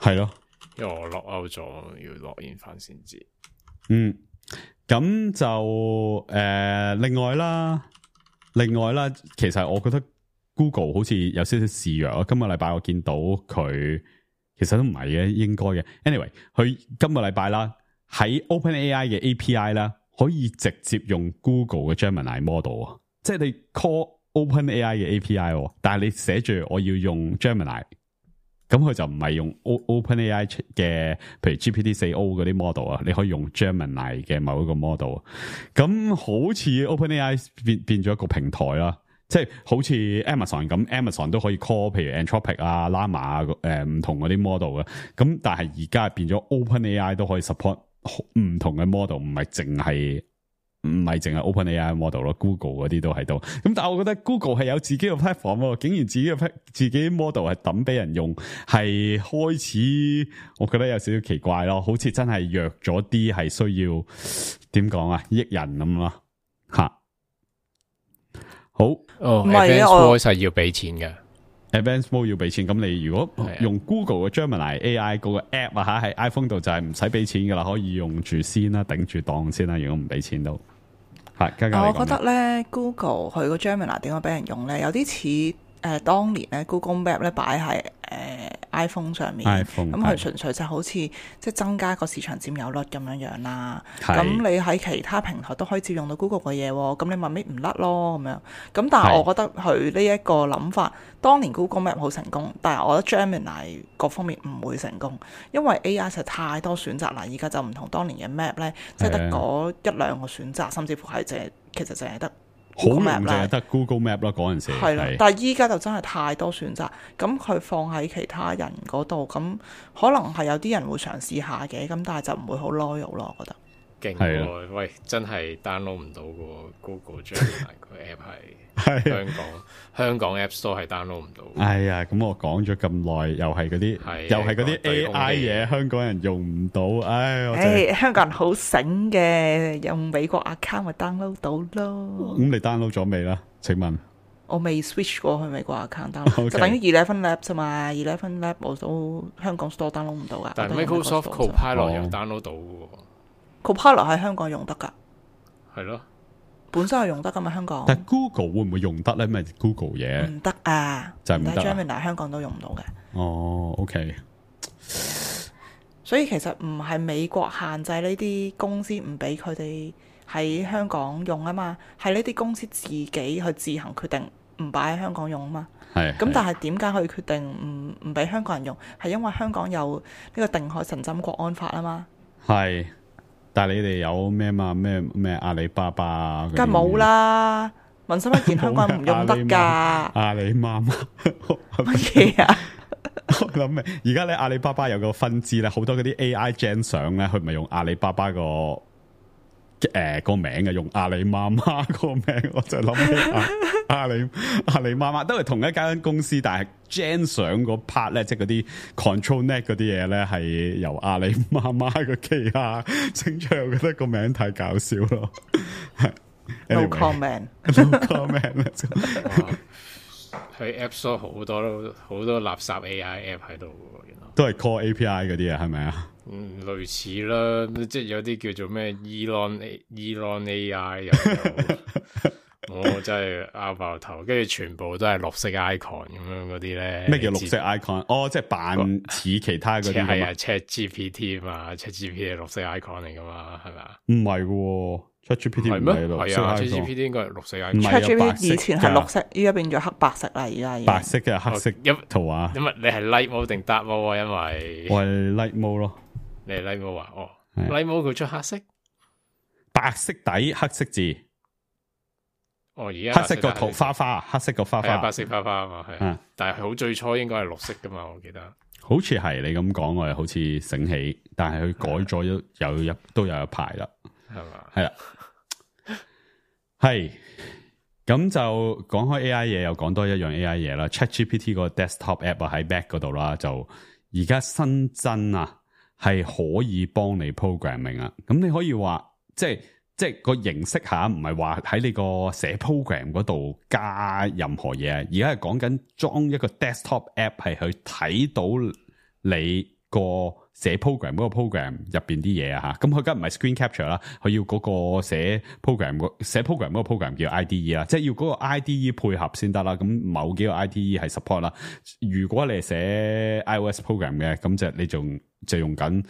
係咯，因為我 log out 咗，要 log in 翻先知。咁就另外啦，其實我覺得 Google 好似有少少示弱啊。今個禮拜我見到佢，其實都唔係嘅，應該嘅。Anyway， 佢今個禮拜啦，喺 OpenAI 嘅 API 啦，可以直接用 Google 嘅 Gemini model 啊，即係你 call OpenAI 嘅 API， 但係你寫住我要用 Gemini， 咁佢就唔係用 OpenAI 嘅，譬如 GPT-4o 嗰啲 model 啊，你可以用 Gemini 嘅某一個 model。咁好似 OpenAI 變咗一個平台啦，即係好似 Amazon 咁 ，Amazon 都可以 call 譬如 Anthropic 啊、Llama 啊，唔同嗰啲 model 啊。咁但係而家變咗 OpenAI 都可以 support 唔同嘅 model， 唔係淨係 OpenAI model 咯 ，Google 嗰啲都喺度。咁但係我覺得 Google 係有自己嘅 platform， 竟然自己 model 係抌俾人用，係開始我覺得有少少奇怪咯，好似真係弱咗啲，係需要點講啊，益人咁咯吓。好，唔係啊，我係要俾錢嘅。Advanced Mode 要俾錢，咁你如果用 Google 嘅 Gemini AI 嗰個 app 啊吓，喺 iPhone 度就係唔使俾錢噶啦，可以用住先啦，頂住檔先啦。如果唔俾錢都係。我覺得咧 Google 佢個 Gemini 點解俾人用咧？有啲似當年咧 Google Map 咧擺喺iPhone 上面，咁佢純粹就好似即係增加個市場佔有率咁樣啦。咁你喺其他平台都可以照用到 Google 嘅嘢，咁你咪搣唔甩咯咁樣。咁但係我覺得佢呢一個諗法，當年 Google Map 好成功，但係我覺得 Gemini 各方面唔會成功，因為 AI 實在太多選擇啦。而家就唔同當年嘅 Map 咧，即係得嗰1-2個選擇，甚至乎係其實淨係得。好用就係得 Google Map 啦，嗰陣時係啦，但係依家就真係太多選擇，咁佢放喺其他人嗰度，咁可能係有啲人會嘗試下嘅，咁但係就唔會好 loyal 咯，我覺得。勁喎，喂，真係 download 唔到個 Google Gemini 個 app 係香港 App Store 係 download 唔到。哎呀，咁我講咗咁耐，又係嗰啲 AI 嘢，香港人用唔到，香港人好醒嘅，用美國 account 咪 download 到咯。咁你 download 咗未啦？請問我未 switch 過去美國 account download，就等於11 Lab 啫嘛。11 Lab 我都香港 store download 唔到噶。但係 Microsoft Copilot 又 download 到嘅。Copilot 喺香港用得噶，係咯，本身係用得噶嘛香港。但 Google 會唔會用得咧？咩 Google 嘢唔得啊，就係唔得。Gemini 香港都用唔到嘅。哦 ，OK。所以其實唔係美國限制呢啲公司唔俾佢哋喺香港用啊嘛，係呢啲公司自己去自行決定唔擺喺香港用啊嘛。係。咁但係點解佢決定唔俾香港人用？係因為香港有呢個定海神針國安法啊嘛。係。但係你哋有咩嘛？咩阿里巴巴啊？梗係冇啦！民生一件香港人唔用得㗎。阿里媽媽乜嘢啊？我諗明，而家咧阿里巴巴有個分支咧，好多嗰啲 AI gen 相咧，佢唔係用阿里巴巴個名嘅，用阿里媽媽個名，我就諗起阿里媽媽都係同一間公司，但係 gen 相嗰 part 咧，即係嗰啲 control net 嗰啲嘢咧，係由阿里媽媽個旗下整出，我覺得個名太搞笑咯。No comment， no comment 喺 App Store 好多垃圾 AI app 喺度喎，原來都係 call API 嗰啲啊，係咪啊？類似啦，即係有啲叫做咩 Elon AI 又我真係拗爆頭，跟住全部都係綠色 icon 咁樣嗰啲咧。咩叫綠色 icon？哦，即係扮似其他嗰啲。係啊 ，ChatGPT 嘛，ChatGPT 係綠色 icon 嚟噶嘛，係咪啊？唔係喎，ChatGPT 唔係綠色 icon。ChatGPT 應該係綠色 icon。ChatGPT 以前係綠色，依家變咗黑白色啦，而家白色嘅黑色圖畫。因為你係 light mode 定 dark mode 啊？因為我係 light mode 咯。你係 light mode 啊？哦，light mode 佢出黑色，白色底黑色字。哦，而家黑色個圖花花，黑色個花花，白色花花啊嘛，係。但係好最初應該係綠色噶嘛，我記得。好似係你咁講，我又好似醒起，但係佢改咗都有一排啦，係嘛？係啦，係咁就講開 AI 嘢，又講多一樣 AI 嘢啦。ChatGPT 個 desktop app 喺 Mac 嗰度啦，就而家新增啊，係可以幫你 programming 啊。咁你可以話即係個形式下，唔係話喺你個寫 program 嗰度加任何嘢，而家係講緊裝一個 desktop app 係去睇到你個寫 program 嗰個 program 入邊啲嘢啊嚇。咁佢梗唔係 screen capture 啦，佢要嗰個寫 program 嗰個 program 叫 IDE 啦，即係要嗰個 IDE 配合先得啦。咁某幾個 IDE 係 support 啦。如果你係寫 iOS program 嘅，咁就用緊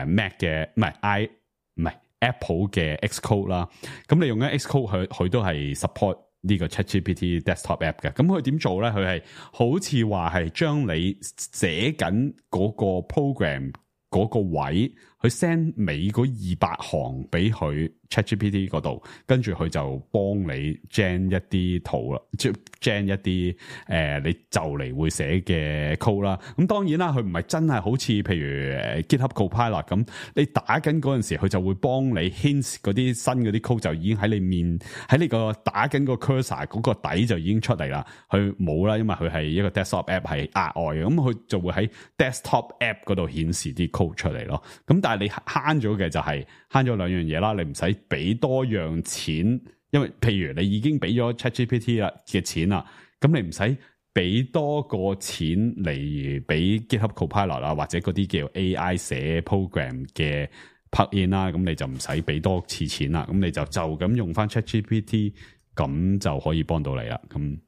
Mac 嘅，唔係Apple 嘅 Xcode 啦，咁你用緊 Xcode 佢都係 support 呢個 ChatGPT desktop app 嘅。咁佢點做咧？佢係好似話係將你寫緊嗰個 program 嗰個位，去 send 尾嗰200行俾佢 ChatGPT 嗰度，跟住佢就幫你 gen 一啲圖啦，即係 gen 一啲你就嚟會寫嘅 code 啦。咁當然啦，佢唔係真係好似譬如GitHub Copilot 咁，你打緊嗰陣時，佢就會幫你 hint 嗰啲新嗰啲 code 就已經喺你個打緊個 cursor 嗰個底就已經出嚟啦。佢冇啦，因為佢係一個 desktop app 係額外嘅，咁佢就會喺 desktop app 嗰度顯示啲 code 出嚟咯。咁但係你慳咗嘅就係慳咗兩樣嘢啦，你唔使俾多樣錢，因為譬如你已經俾咗 ChatGPT 啦嘅錢啦，咁你唔使俾多個錢嚟俾 GitHub Copilot 啊，或者嗰啲叫 AI 寫 program 嘅 plugin 啦，咁你就唔使俾多次錢啦，咁你就咁用翻 ChatGPT， 咁就可以幫到你啦。咁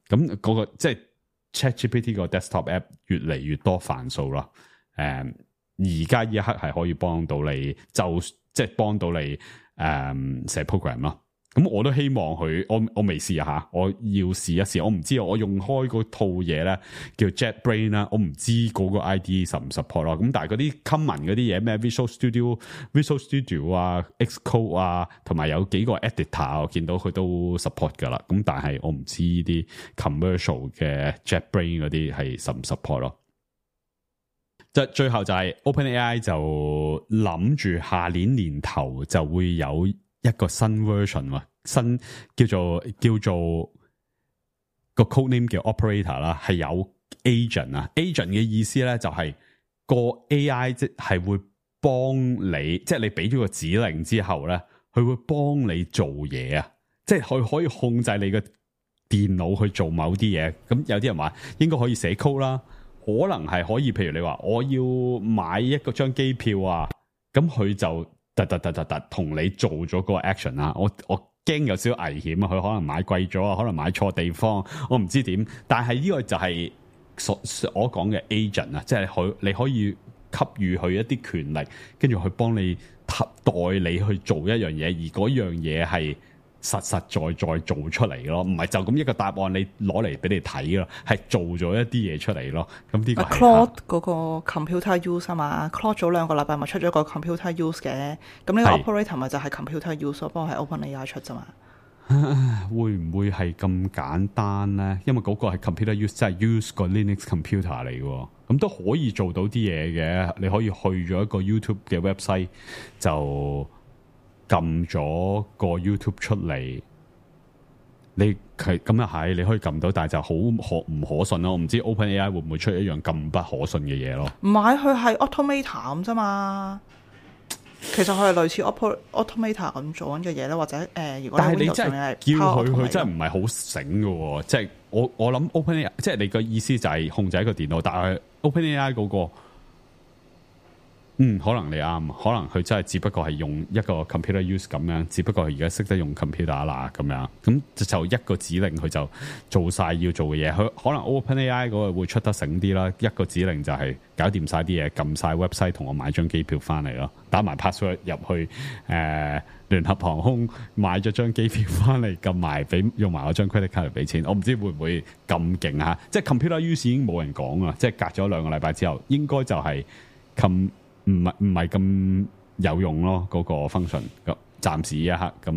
嗰個即係 ChatGPT 個 desktop app 越嚟越多範數啦，而家呢一刻係可以幫到你，即係幫到你寫 program 咯。咁我都希望佢，我未試下，我要試一試。我唔知我用開嗰套嘢咧叫 JetBrains 啦，我唔知嗰個 IDE 實唔 support 咯。咁但係嗰啲 common 嗰啲嘢咩 Visual Studio 啊 Xcode 啊，同埋有幾個 editor 我見到佢都 support 噶啦。咁但係我唔知啲 commercial 嘅 JetBrains 嗰啲係實唔 support 咯。最後就係 OpenAI 就諗住下年頭就會有一個新 version， 新叫做個 code name 叫 Operator 啦，係有 agent 啊。agent 嘅意思咧就係個 AI 即係會幫你，即係你俾咗個指令之後咧，佢會幫你做嘢啊，即係佢可以控制你嘅電腦去做某啲嘢。咁有啲人話應該可以寫 code 啦。可能係可以，譬如你話我要買一個張機票啊，咁佢就突同你做咗個 action 啊。我驚有少少危險啊，佢可能買貴咗啊，可能買錯地方，我唔知點。但係呢個就係我講嘅 agent 啊，即係你可以給予佢一啲權力，跟住去幫你代你去做一樣嘢，而嗰樣嘢係實在做出嚟咯，唔係就咁一個答案你攞嚟俾你睇咯，係做咗一啲嘢出嚟咯。咁呢個係 Claude 嗰個 computer use 啊嘛，Claude 早2個禮拜咪出咗個 computer use 嘅，咁呢個 operator 咪就係 computer use 咯，不過係 OpenAI 出啫嘛。會唔會係咁簡單咧？因為嗰個係 computer use，即係 use 個 Linux computer 嚟嘅，咁都可以做到啲嘢嘅。你可以去咗一個 YouTube 嘅 website 就撳咗個 YouTube 出嚟，你係咁又係，你可以撳到，但係就好唔可信咯。我唔知 OpenAI 會唔會出一樣咁不可信嘅嘢咯？唔係，佢係 Automator 咁啫嘛。其實佢係類似 Automator 咁做緊嘅嘢咧，或者如果但係你 Windows 真上面係叫佢， Power 佢真係唔係好醒嘅喎。即係我諗 OpenAI，即係你個意思就係控制一個電腦，但係 OpenAI 嗰個。可能你啱，可能佢真係只不過係用一個 computer use 咁樣，只不過係而家識得用 computer 啦咁樣，咁就一個指令佢就做晒要做嘅嘢。佢可能 OpenAI 嗰個會出得醒啲啦，一個指令就係搞掂晒啲嘢，撳晒 website 同我買張機票翻嚟咯，打埋 password 入去聯合航空買咗張機票翻嚟，撳埋俾用埋我張 credit card 嚟俾錢。我唔知會唔會咁勁啊？即係 computer use 已經冇人講啦，即係隔咗2個禮拜之後，應該就係唔係咁有用咯，嗰個 function 咁暫時一刻咁，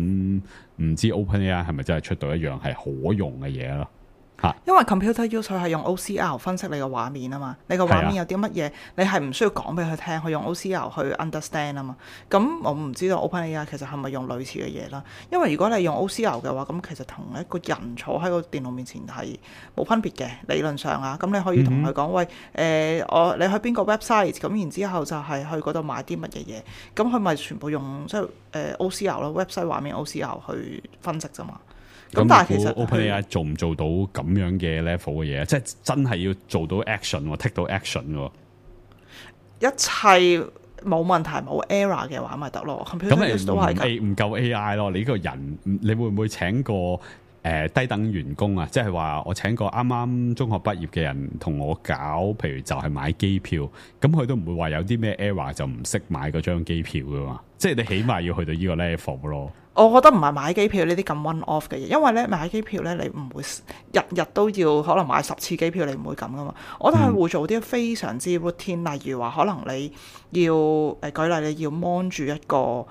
唔知 OpenAI 係咪真係出到一樣係可用嘅嘢咯？因為 computer use 佢係用 OCR 分析你個畫面啊嘛，你個畫面有啲乜嘢，你係唔需要講俾佢聽，佢用 OCR 去 understand 啊嘛。咁我唔知道 OpenAI 其實係咪用類似嘅嘢啦？因為如果你用 OCR 嘅話，咁其實同一個人坐喺個電腦面前係冇分別嘅，理論上啊。咁你可以同佢講喂，你去邊個 website， 咁然之後就係去嗰度買啲乜嘢嘢，咁佢咪全部用即係OCR 咯 ，website 畫面 OCR 去分析啫嘛。咁但係其實 OpenAI 做唔做到咁樣嘅 level 嘅嘢，即係真係要做到 action，take 到 action 喎。一切冇問題冇 error 嘅話咪得咯。咁你都係唔夠 AI 咯。你呢個人，你會唔會請個低等員工啊？即係話我請個啱啱中學畢業嘅人同我搞，譬如就係買機票，咁佢都唔會話有啲咩 error 就唔識買嗰張機票噶嘛。即係你起碼要去到呢個 level 咯。我覺得唔係買機票呢啲咁 one off 嘅嘢，因為咧買機票咧你唔會日日都要可能買10次機票，你唔會咁噶嘛。我覺得係會做啲非常之 routine，例如話可能你要舉例你要 mon 住一個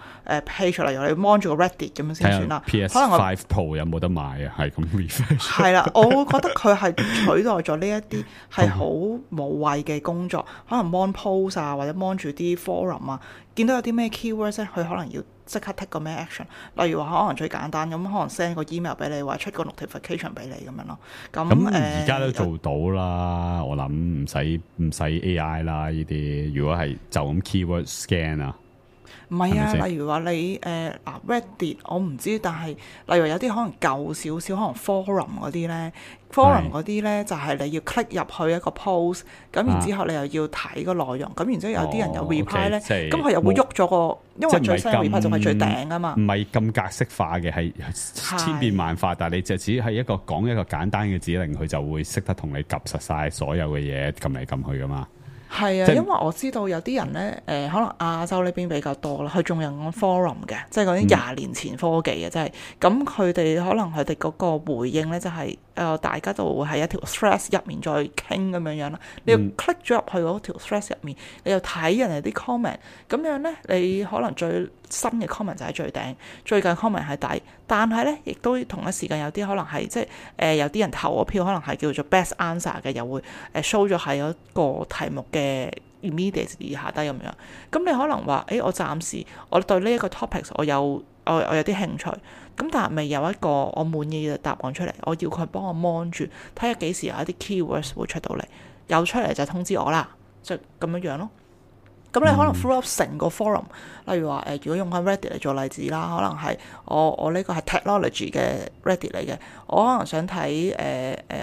page，例如你 mon 住個 Reddit 咁樣先算啦。PS5 Pro 有冇得買啊？係咁 refresh。係啦，我會覺得佢係取代咗呢一啲係好無謂嘅工作，可能 mon post 啊，或者 mon 住啲 forum 啊，見到有啲咩 keywords 咧，佢可能要即刻 take 個咩 action， 例如話可能最簡單咁，可能 send 個 email 俾你，或者出個 notification 俾你咁樣咯。咁而家都做到啦，我諗唔使 AI 啦呢啲。如果係就咁 keyword scan 啊，唔係啊，例如話你Reddit 我唔知，但係例如有啲可能舊少少，可能 forum 嗰啲咧。forum 嗰啲咧就係你要 click 入去一個 post， 咁然之後你又要睇個內容，咁然之後有啲人有 reply 咧，咁佢又會喐咗個，因為最新嘅 reply 仲係最頂啊嘛。唔係咁格式化嘅，係千變萬化，但係你就只係講一個簡單嘅指令，佢就會識得同你及實晒所有嘅嘢，撳嚟撳去噶嘛。係啊，因為我知道有啲人咧，可能亞洲呢邊比較多啦，佢仲有 forum 嘅，即係嗰啲20年前科技嘅，即係咁佢哋可能佢哋嗰個回應咧就係、大家就會喺一條 thread 入面再傾咁樣樣啦。你要 click 咗入去嗰條 thread 入面，你又睇人哋啲 comment，咁樣咧你可能最新嘅 comment 就喺最頂，最近 comment 喺底，但係咧亦都同一時間有啲可能係即係有啲人投咗票，可能係叫做 best answer 嘅，又會show 咗喺嗰個題目嘅 immediately 下低咁樣。咁你可能話我暫時我對呢一個 topics 我有啲興趣，咁但係未有一個我滿意嘅答案出嚟，我要佢幫我 mon 住，睇下幾時有一啲 keywords 會出到嚟，有出嚟就通知我啦，就咁樣樣咯。咁你可能 through up 成個 forum，例如話如果用緊 Reddit 嚟做例子啦，可能係我呢個係 technology 嘅 Reddit 嚟嘅，我可能想睇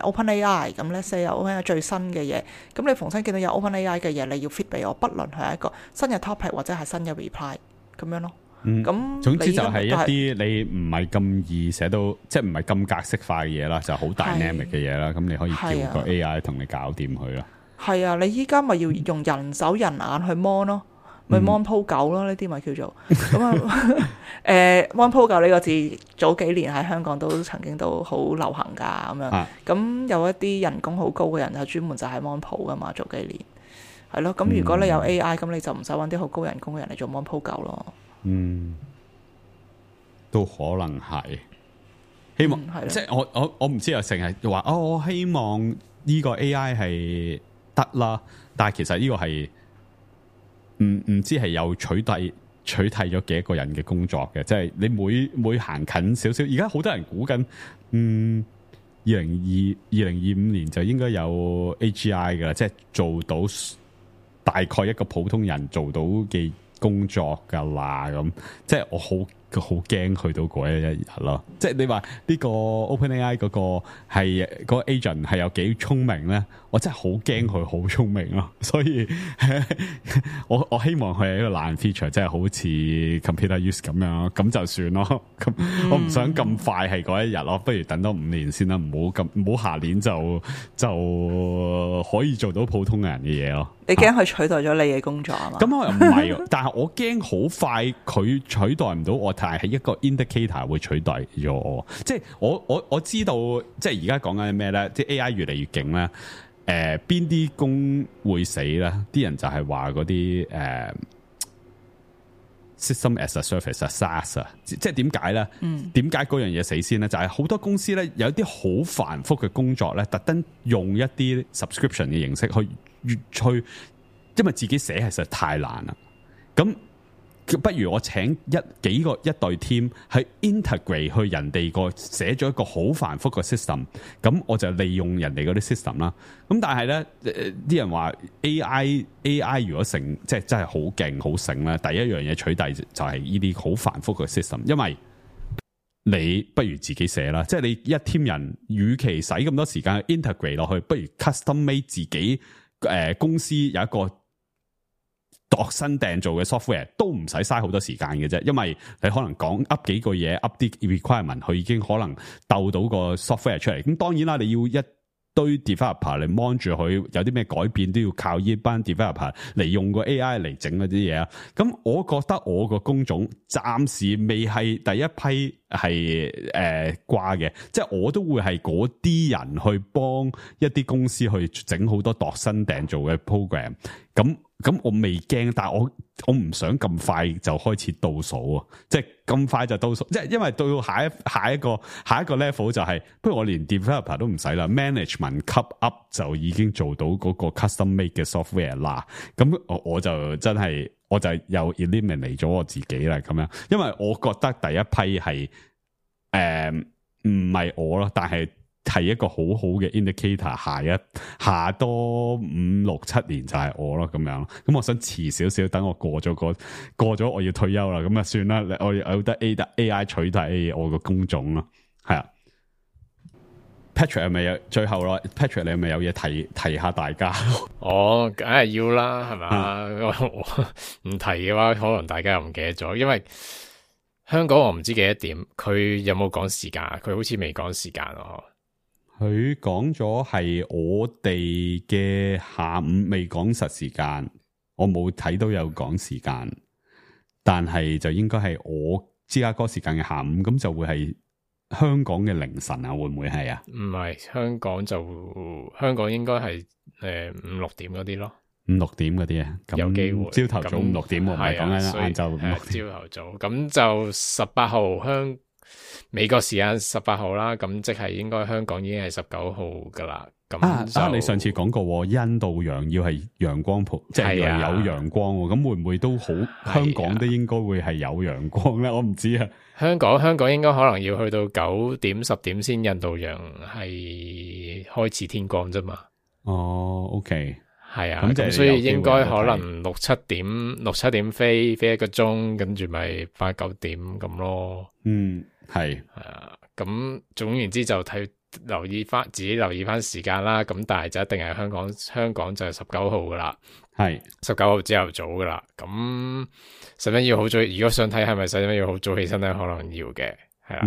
OpenAI， 咁咧 say 有 OpenAI 最新嘅嘢，咁你逢親見到有 OpenAI 嘅嘢，你要 fit 俾我，不論係一個新嘅 topic 或者係新嘅 reply 咁樣咯。咁總之就係一啲你唔係咁易寫到，即係唔係咁格式化嘅嘢啦，就好 dynamic 嘅嘢啦。咁你可以叫個 AI 同你搞掂佢啦。係啊，你依家咪要用人手人眼去 mon 咯，咪 mon 鋪狗咯，呢啲咪叫做咁啊。mon 鋪狗呢個字早幾年喺香港都曾經都好流行㗎咁樣。咁有一啲人工好高嘅人就專門就係 mon 鋪㗎嘛，早幾年係咯。咁如果你有 AI，咁你就唔使揾啲好高人工嘅人嚟做 mon 鋪狗咯。都可能係。希望係咯即係我唔知啊，成日話我希望呢個 AI 係得啦，但係其實呢個係唔知係有取替咗幾多個人嘅工作嘅，即係你每行近少少，而家好多人估緊2025年就應該有 AGI 噶啦，即係做到大概一個普通人做到嘅工作噶啦，咁即係我好驚去到嗰一日咯。即係你話呢個 OpenAI 嗰個係嗰個 agent 係有幾聰明咧？我真係好驚佢好聰明咯。所以我希望佢係一個爛 feature，即係好似 computer use 咁樣，咁就算咯。咁我唔想咁快係嗰一日咯，不如等多5年先啦，唔好下年就可以做到普通人嘅嘢咯。你驚佢取代咗你嘅工作啊嘛？咁我又唔係，但係我驚好快佢取代唔到我，但係一個 indicator 會取代咗我。即係我知道，即係而家講緊咩咧？即係 AI 越嚟越勁咧。邊啲工會死咧？啲人就係話嗰啲system as a service 啊 SaaS 啊，即係點解咧？點解嗰樣嘢死先咧？就係好多公司咧有啲好繁複嘅工作咧，特登用一啲 subscription 嘅形式去，因為自己寫係實在太難啦。咁不如我請一隊 team 去 integrate 去人哋個寫咗一個好繁複嘅 system， 咁我就利用人哋嗰啲 system 啦。咁但係咧，啲人話 AI 如果即係真係好勁好醒咧，第一樣嘢取代就係呢啲好繁複嘅 system， 因為你不如自己寫啦，即係你一 team 人，與其使咁多時間去 integrate 落去，不如 custom made 自己公司有一個度身訂做嘅 software 都唔使嘥好多時間嘅啫，因為你可能講 up 幾個嘢 up 啲 requirement， 佢已經可能鬥到個 software 出嚟。咁當然啦，你要一堆 developer 嚟 mon 住佢，有啲咩改變都要靠呢班 developer 嚟用個 AI 嚟整嗰啲嘢啊。咁我覺得我個工種暫時未係第一批係掛嘅，即係我都會係嗰啲人去幫一啲公司去整好多度身訂做嘅 program。咁我未驚，但係我唔想咁快就開始倒數啊！即係咁快就倒數，即係因為到下一個 level 就係，不如我連 developer 都唔使啦 ，management cut up 就已經做到嗰個 custom made 嘅 software 啦。咁我就真係我就又 eliminate 咗我自己啦，咁樣，因為我覺得第一批係唔係我咯，但係一個好好嘅 indicator， 下多5、6、7年就係我咯，咁樣。咁我想遲少少，等我過咗我要退休啦，咁啊算啦，我有得 AI 取代我個工種咯，係啊。Patrick 係咪有最後咯 ？Patrick 你係咪有嘢提下大家？我梗係要啦，係嘛？唔提嘅話，可能大家又唔記得咗，因為香港我唔知幾多點，佢有冇講時間？佢好似未講時間咯。佢講咗係我哋嘅下午，未講實時間，我冇睇到有講時間，但係就應該係我芝加哥時間嘅下午，咁就會係香港嘅凌晨啊？會唔會係啊？唔係，香港應該係5、6點嗰啲咯，5、6點嗰啲啊，有機會朝頭早5、6點，我唔係講緊晏晝朝頭早，咁就18號美國時間18號啦，咁即係應該香港已經係19號噶啦。咁你上次講過印度洋要係陽光普，即係有陽光，咁會唔會都好？香港都應該會係有陽光咧？我唔知啊。香港應該可能要去到9點10點先印度洋係開始天光啫嘛。哦，OK，係啊，咁所以應該可能6、7點飛一個鐘，跟住咪8、9點咁咯。係啊，咁總言之就自己留意翻時間啦。咁但係就一定係香港就係19號噶啦，係19號朝頭早噶啦。咁使唔使要好早？如果想睇係咪使唔使要好早起身咧？可能要嘅，係啦，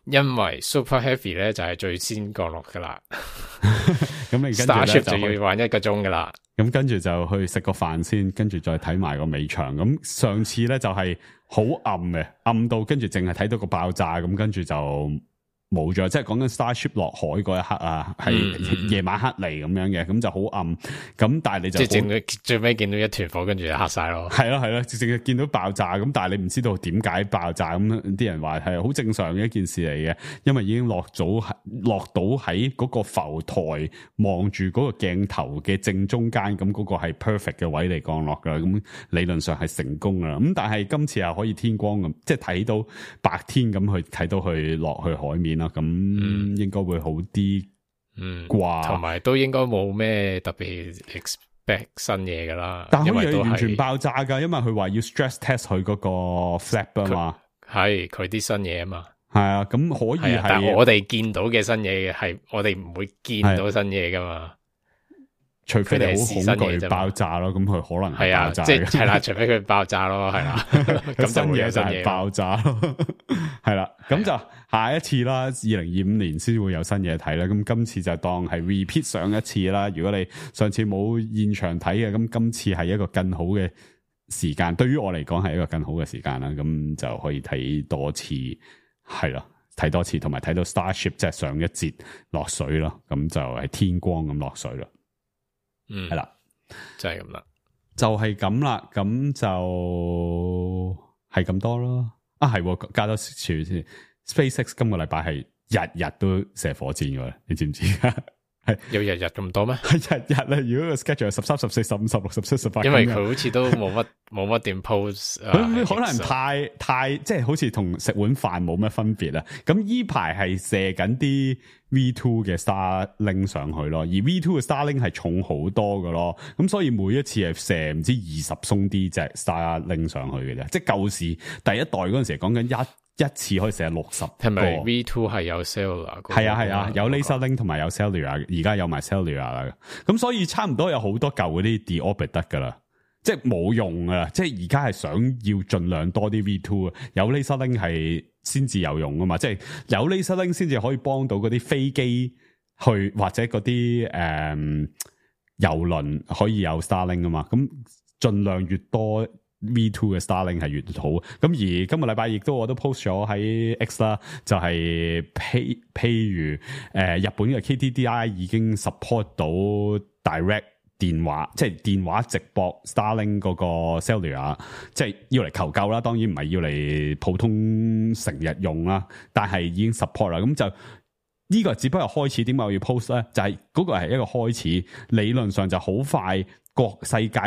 因為 Super Heavy 咧就係最先降落噶啦。咁你跟住 Starship 就要玩1個鐘噶啦。咁跟住就去食個飯先，跟住再睇埋個尾場。咁上次咧就係好暗嘅，暗到跟住淨係睇到個爆炸，咁跟住就冇咗，即係講緊 Starship 落海嗰一刻啊，係夜晚黑嚟咁樣嘅，咁就好暗。咁但係你就即係最尾見到一團火，跟住就黑晒咯。係咯，直接見到爆炸，咁但係你唔知道點解爆炸，咁啲人話係好正常嘅一件事嚟嘅，因為已經落到喺嗰個浮台望住嗰個鏡頭嘅正中間，咁嗰個係 perfect 嘅位嚟降落噶啦，咁理論上係成功噶啦。咁但係今次又可以天光咁，即係睇到白天咁去睇到佢落去海面啦，咁應該會好啲啩，同埋都應該冇咩特別 expect 新嘢噶啦。但係可以完全爆炸噶，因為佢話要 stress test 佢嗰個 flap 啊嘛，係佢啲新嘢啊嘛，係啊，咁可以係，但係我哋見到嘅新嘢係我哋唔會見到新嘢噶嘛。除非你好恐懼爆炸咯，咁佢可能係爆炸嘅，係啦，除非佢爆炸咯，係啦，咁新嘢就係爆炸咯，係啦，咁就下一次啦，2025年先會有新嘢睇啦，咁今次就當係 repeat 上一次啦。如果你上次冇現場睇嘅，咁今次係一個更好嘅時間，對於我嚟講係一個更好嘅時間啦，咁就可以睇多次，係啦，睇多次，同埋睇到 Starship 即係上一節落水咯，咁就係天光咁落水咯。係啦，就係咁啦，就係咁啦，咁就係咁多咯。啊，係加多少先 ？SpaceX 今個禮拜係日日都射火箭嘅，你知唔知？係有日日咁多咩？係日日咧，如果個 schedule 係13、14、15、16、17、18，因為佢好似都冇乜點 post， 佢可能太即係好似同食碗飯冇乜分別啦。咁依排係射緊啲 V2 嘅 Starlink 上去咯，而 V2 嘅 Starlink 係重好多嘅咯。咁所以每一次係射唔知20鬆啲隻 Starlink 上去嘅啫。即係舊時第一代嗰陣時講緊一次可以射60個。係咪 V2 係有 cellular？ 係啊，有 laser link 同埋有 cellular， 而家有埋 cellular 啦。咁所以差唔多有好多舊嗰啲 deorbit 得噶啦，即係冇用噶啦。即係而家係想要盡量多啲 V2 啊，有 laser link 係先至有用啊嘛。即係有 laser link 先至可以幫到嗰啲飛機去或者嗰啲遊輪可以有 Starlink 啊嘛。咁盡量越多V2 嘅 Starlink 係越好，咁而今個禮拜亦都我都 post 咗喺 X 啦，就係譬如日本嘅 KDDI 已經 support 到 direct 電話，即係電話直播 Starlink 嗰個 cellular， 即係要嚟求救啦，當然唔係要嚟普通成日用啦，但係已經 support 啦，咁就呢個只不過開始。點解我要 post 咧？就係嗰個係一個開始，理論上就好快，世界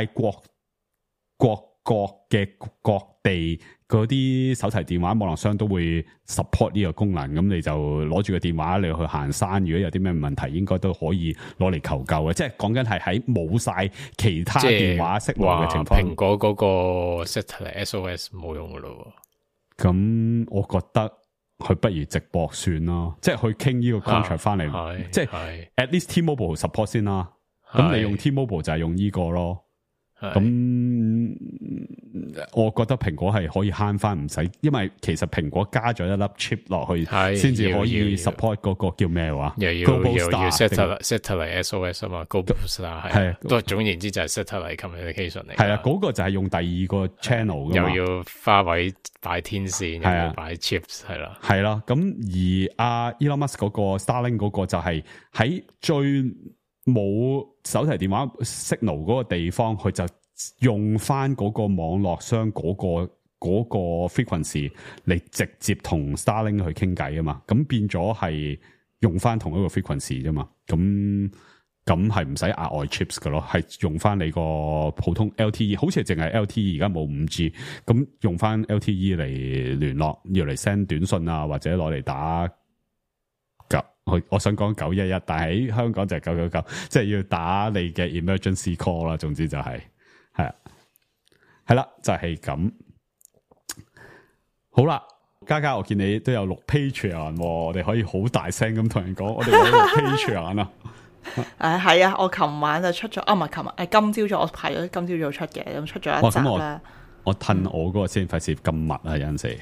各嘅各地嗰啲手提電話網絡商都會 support 呢個功能，咁你就攞住個電話你去行山，如果有啲咩問題，應該都可以攞嚟求救嘅。即係講緊係喺冇晒其他電話識路嘅情況。蘋果嗰個 satellite SOS 冇用噶咯。咁我覺得佢不如直播算咯，即係去傾呢個 contract 翻嚟，即係 at least T-Mobile support 先啦。咁你用 T-Mobile 就係用呢個咯。咁我覺得蘋果係可以慳翻唔使，因為其實蘋果加咗一粒 chip 落去，先至可以 support 嗰個叫咩話？又要 satellite SOS 啊嘛 ，Globalstar 係，都總言之就係 satellite communication 嚟。係啦，嗰個就係用第二個 channel 噶嘛，又要花位擺天線，又要擺 chips， 係啦，係啦。咁而Elon Musk 嗰個 Starlink 嗰個就係喺最冇手提電話 signal 嗰個地方，佢就用翻嗰個網絡商嗰個 frequency 嚟直接同 Starlink 去傾偈啊嘛，咁變咗係用翻同一個 frequency 啫嘛，咁係唔使額外 chips 嘅咯，係用翻你個普通 LTE， 好似係淨係 LTE， 而家冇 5G， 咁用翻 LTE 嚟聯絡，要嚟 send 短信啊，或者攞嚟打。我想講911，但係喺香港就係999，即係要打你嘅 emergency call 啦。總之就係啦，就係咁。好啦，嘉，我見你都有錄 Patreon， 我哋可以好大聲咁同人講，我哋有錄 Patreon 啊。係啊，我琴晚就出咗，唔係琴日，今朝早我排咗今朝早出嘅，咁出咗一集啦。我褪我嗰個先，費事咁密啊，有陣時。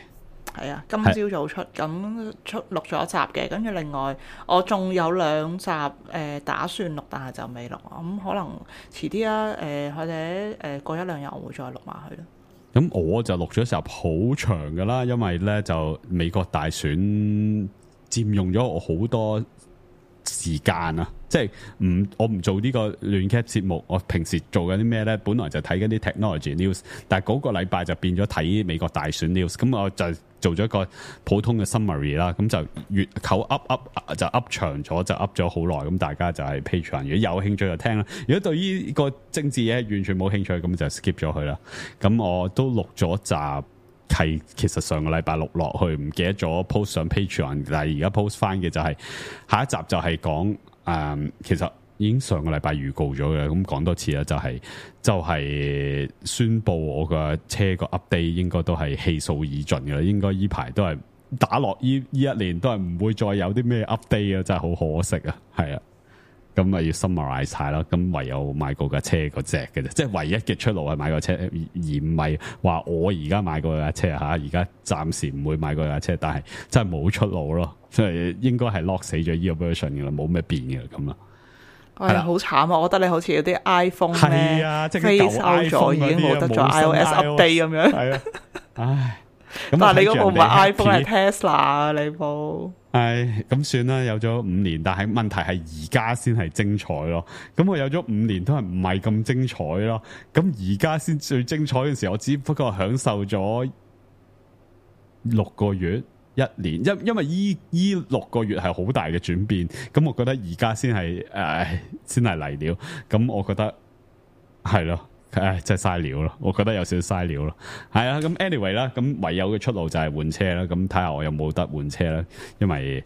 係啊，今朝早出，咁錄咗一集嘅，跟住另外我仲有2集打算錄，但係就未錄，咁可能遲啲啦，或者過1-2日我會再錄埋佢咯。咁我就錄咗一集好長噶啦，因為咧就美國大選佔用咗我好多時間啊！即係我唔做呢個亂 cap 節目，我平時做緊啲咩咧？本來就睇緊啲 technology news， 但係嗰個禮拜就變咗睇美國大選 news， 咁我就做咗一個普通嘅 summary 啦，咁就越扣 up 就 up 長咗，就 up 咗好耐，咁大家就係 Patreon， 如果有興趣就聽啦，如果對於個政治嘢完全冇興趣，咁就 skip 咗佢啦。咁我都錄咗集。係其實上個禮拜錄落去，唔記得咗 post 上 Patreon， 但係而家 post 翻嘅就係下一集就係講其實已經上個禮拜預告咗嘅，咁講多次啦，就係宣佈我個車個 update 應該都係氣數已盡嘅啦，應該依排都係打落依一年都係唔會再有啲咩 update 啊，真係好可惜啊，係啊。咁咪要 summarize 晒啦，咁唯有買過架車嗰隻嘅啫，即係唯一嘅出路係買個車，而唔係話我而家買過架車嚇，而家暫時唔會買過架車，但係真係冇出路咯，即係應該係 lock 死咗呢個 version 嘅啦，冇咩變嘅咁啦。係好慘啊！我覺得你好似有啲 iPhone 咧，啊，即係飛 out 咗，已經冇得咗 iOS update 咁樣。係啊，唉，但係你嗰部唔係 iPhone 係 Tesla 啊，你部。唉，咁算啦，有咗5年，但係問題係而家先係精彩咯。咁我有咗5年都係唔係咁精彩咯。咁而家先最精彩嘅時候，我只不過享受咗6個月、1年，因為依6個月係好大嘅轉變。咁我覺得而家先係先係嚟料。咁我覺得係咯。真係嘥料咯，我覺得有少少嘥料咯。係啊，咁 anyway 啦，咁唯有嘅出路就係換車啦。咁睇下我有冇得換車啦，因為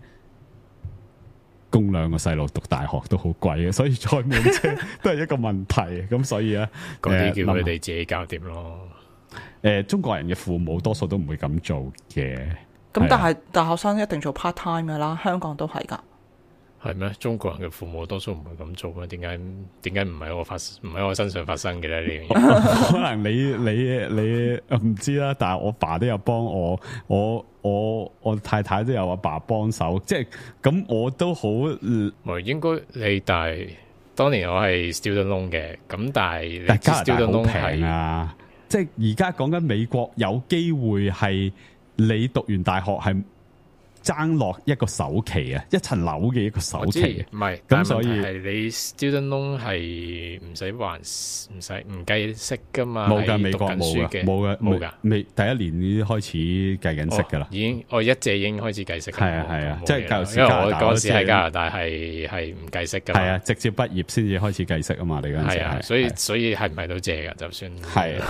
供2個細路讀大學都好貴嘅，所以再換車都係一個問題。咁所以咧，嗰啲叫佢哋自己搞掂咯。中國人嘅父母多數都唔會咁做嘅。咁但係大學生一定做 part time 噶啦，香港都係噶。係咩？中國人嘅父母多數唔會咁做咩？點解唔喺我身上發生嘅咧？呢樣嘢可能你唔知啦，但係我爸都有幫我太太都有阿爸幫手，即係咁我都好。應該你但係當年我係 student loan 嘅，咁但係加拿大好平啊！即係而家講緊美國有機會係你讀完大學係。爭落一個首期啊，一層樓嘅一個首期，唔係咁，所以係你 student loan 係唔使還，唔計息噶嘛？冇噶，美國冇噶，冇噶，未第一年已經開始計緊息噶啦，已經我一借已經開始計息，係啊，即係因為我嗰時喺加拿大係唔計息噶，係啊，直接畢業先至開始計息啊嘛，你嗰陣時係啊，所以係唔係都借噶？就算係。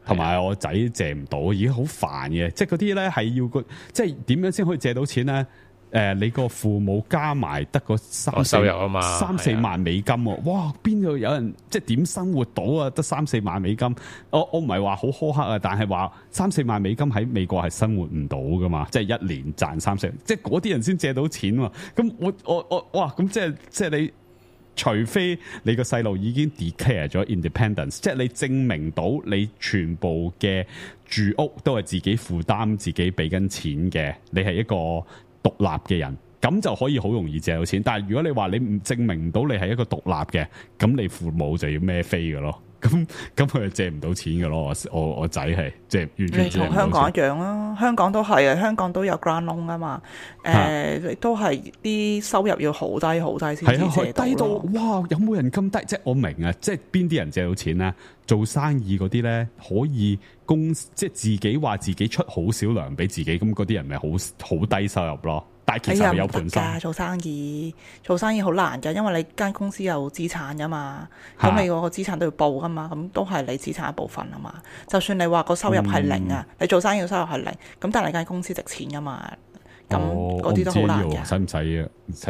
同埋我仔借唔到，已經好煩嘅。即係嗰啲咧係要即係點樣先可以借到錢咧？你個父母加埋得個收入啊嘛，3-4萬美金喎。哇！邊度有人即係點生活到啊？得3-4萬美金。我唔係話好苛刻啊，但係話3-4萬美金喺美國係生活唔到噶嘛。即係一年賺3-4，即係嗰啲人先借到錢喎。咁我哇！咁即係你。除非你個細路已經 declare 咗 independence， 即係你證明到你全部嘅住屋都係自己負擔、自己俾緊錢嘅，你係一個獨立嘅人，咁就可以好容易借到錢。但係如果你話你唔證明到你係一個獨立嘅，咁你父母就要孭飛嘅咯。咁佢就借唔到錢嘅咯。我仔係即係完全借唔到錢。你同香港一樣啦，香港都係啊，香港都有 grant loan 啊嘛。都係啲收入要好低好低先至借到。低到哇！有冇人咁低？即係我明啊，即係邊啲人借到錢咧？做生意嗰啲咧，可以即係自己話自己出好少糧俾自己，咁嗰啲人咪好低收入咯。但係其實有盤生，做生意好難㗎，因為你間公司有資產㗎嘛，咁你嗰個資產都要報㗎嘛，咁都係你資產一部分啊嘛。就算你話個收入係零啊，你做生意嘅收入係零，咁但係你間公司值錢㗎嘛，咁嗰啲都好難嘅。使唔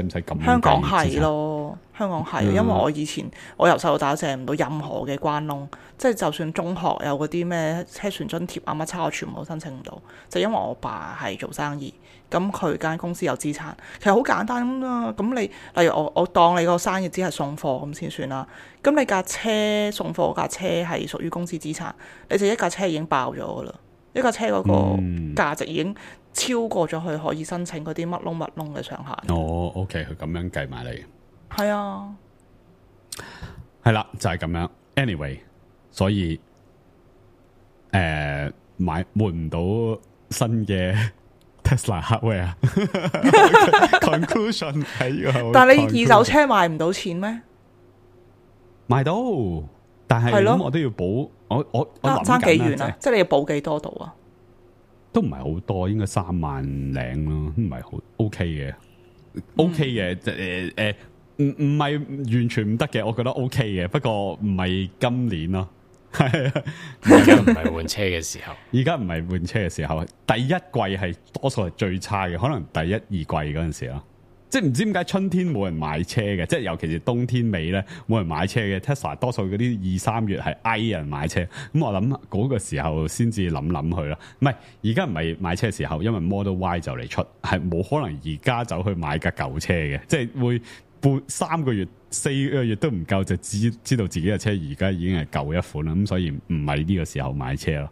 使咁？香港係咯，香港係，因為我以前我由細到大借唔到任何嘅關窿，即係就算中學有嗰啲咩車船津貼啊乜叉，我全部都申請唔到，就因為我爸係做生意。咁佢間公司有資產，其實好簡單咁啊。咁你例如我當你個生意只係送貨咁先算啦。咁你架車送貨架車係屬於公司資產，你就一架車已經爆咗噶啦，一架車嗰個價值已經超過咗佢可以申請嗰啲乜窿嘅上限。哦 OK， 佢咁樣計埋你。係啊，係啦，就係咁樣。Anyway， 所以換唔到新嘅 Tesla hardware conclusion 係呢個，但係你二手車賣唔到錢咩？賣到，但係咁我都要補，我諗爭幾遠緊啊？即係你要補幾多度啊？都唔係好多，應該3萬零咯，唔係好 OK 嘅，OK 嘅，唔係完全唔得嘅，我覺得 OK 嘅，不過唔係今年咯，係啊，而家唔係換車嘅時候，而家唔係換車嘅時候，第一季係多數係最差嘅，可能第一二季嗰陣時咯。即係唔知點解春天冇人買車嘅，即係尤其是冬天尾咧冇人買車嘅。Tesla 多數嗰啲2、3月係嗌人買車，咁我諗嗰個時候先至諗佢啦。唔係而家唔係買車嘅時候，因為 Model Y 就嚟出，係冇可能而家走去買架舊車嘅，即係會3個月、4個月都唔夠就知道自己嘅車而家已經係舊一款啦。咁所以唔係呢個時候買車咯，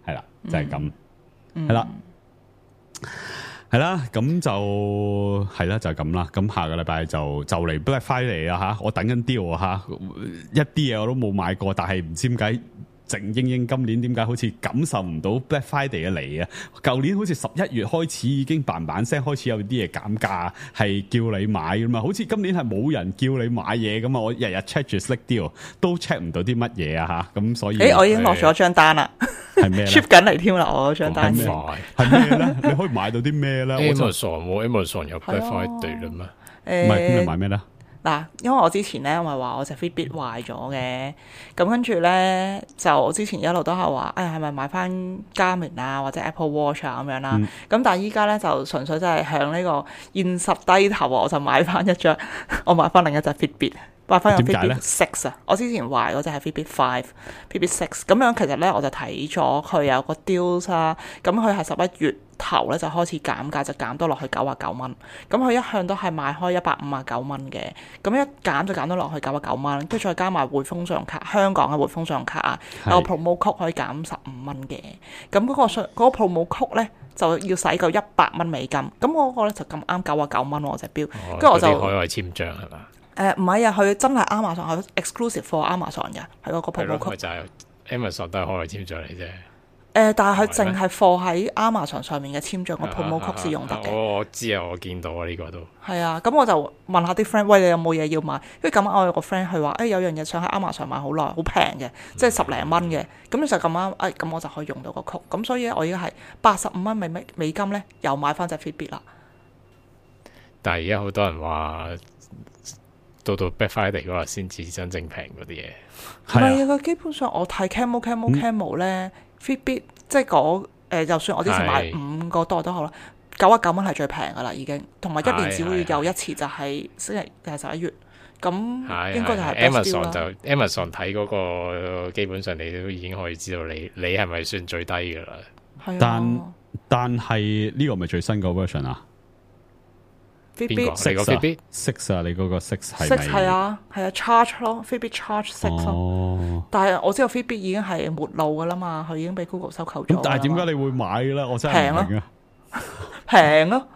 係啦，就係咁，係啦。係啦，咁就係啦，就係咁啦。咁下個禮拜就嚟 Black Friday 啦吓，我等緊 deal 吓，一啲嘢我都冇買過，但係唔知點解靜英英今年點解好似感受唔到 Black Friday 嘅嚟啊？舊年好似11月開始已經嘭聲開始有啲嘢減價，係叫你買㗎嘛。好似今年係冇人叫你買嘢咁啊！我日日 check 住 Slick Deal 都 check 唔到啲乜嘢啊吓，咁所以我已經落咗張單啦。係咩 ship 緊嚟添啦，我嗰張單快係咩咧？你可以買到啲咩咧 ？Amazon 有 Black Friday 啦咩？唔係，咁你買咩咧？嗱，因為我之前咧，我咪話我隻 Fitbit 壞咗嘅，咁跟住咧就我之前一路都係話，係咪買翻 Garmin 啊或者 Apple Watch 啊咁樣啦？咁但係依家咧就純粹真係向呢個現實低頭，我就買翻一張，我買翻另一隻 Fitbit。買翻個 Fitbit 6啊！我之前壞嗰隻係 Fitbit 5、Fitbit 6咁樣，其實咧我就睇咗佢有個 deals 啦，咁佢係11月頭咧就開始減價，就減到落去99蚊。咁佢一向都係賣開159蚊嘅，咁一減就減到落去99蚊，跟住再加埋匯豐信用卡，香港嘅匯豐信用卡啊，有個 promo code 可以減15蚊嘅。咁嗰個 promo code 咧就要使夠100蚊美金，咁我嗰個咧就咁啱99蚊喎隻錶，跟住我就海外簽賬係嘛？唔係啊，佢真係 Amazon 係 exclusive for Amazon 嘅，係嗰個 promo code。就係 Amazon 都係海外簽賬嚟啫。但係佢淨係放喺 Amazon 上面嘅簽賬個 promo code 先用得嘅。我知啊，我見到啊，呢個都係啊。咁我就問下啲 friend，喂，你有冇嘢要買？因為咁啱我有個 friend 佢話，有樣嘢想喺 Amazon 買好耐，好平嘅，即係10零蚊嘅。咁就咁啱，咁我就可以用到個 code。咁所以我而家係85蚊美金咧，又買翻隻 Fitbit 啦。但係而家好多人話，到 Black Friday 嗰日先至真正平嗰啲嘢。唔係啊，基本上我睇 Camel 咧，Fitbit 即係就算我之前買5個多都好啦，99蚊係最平噶啦已經，同埋1年只會有一次就係11月，咁應該就係 Amazon 就 Amazon 睇嗰個基本上你都已經可以知道你係咪算最低噶啦。係啊，但係呢個咪最新個 version 啊？邊個？你個 Fitbit 6啊？你嗰個6係咪？係啊，Charge 咯 ，Fitbit Charge 6咯。但係我知道 Fitbit 已經係沒路噶啦嘛，佢已經俾 Google 收購咗。咁但係點解你會買咧？我真係唔明啊！平咯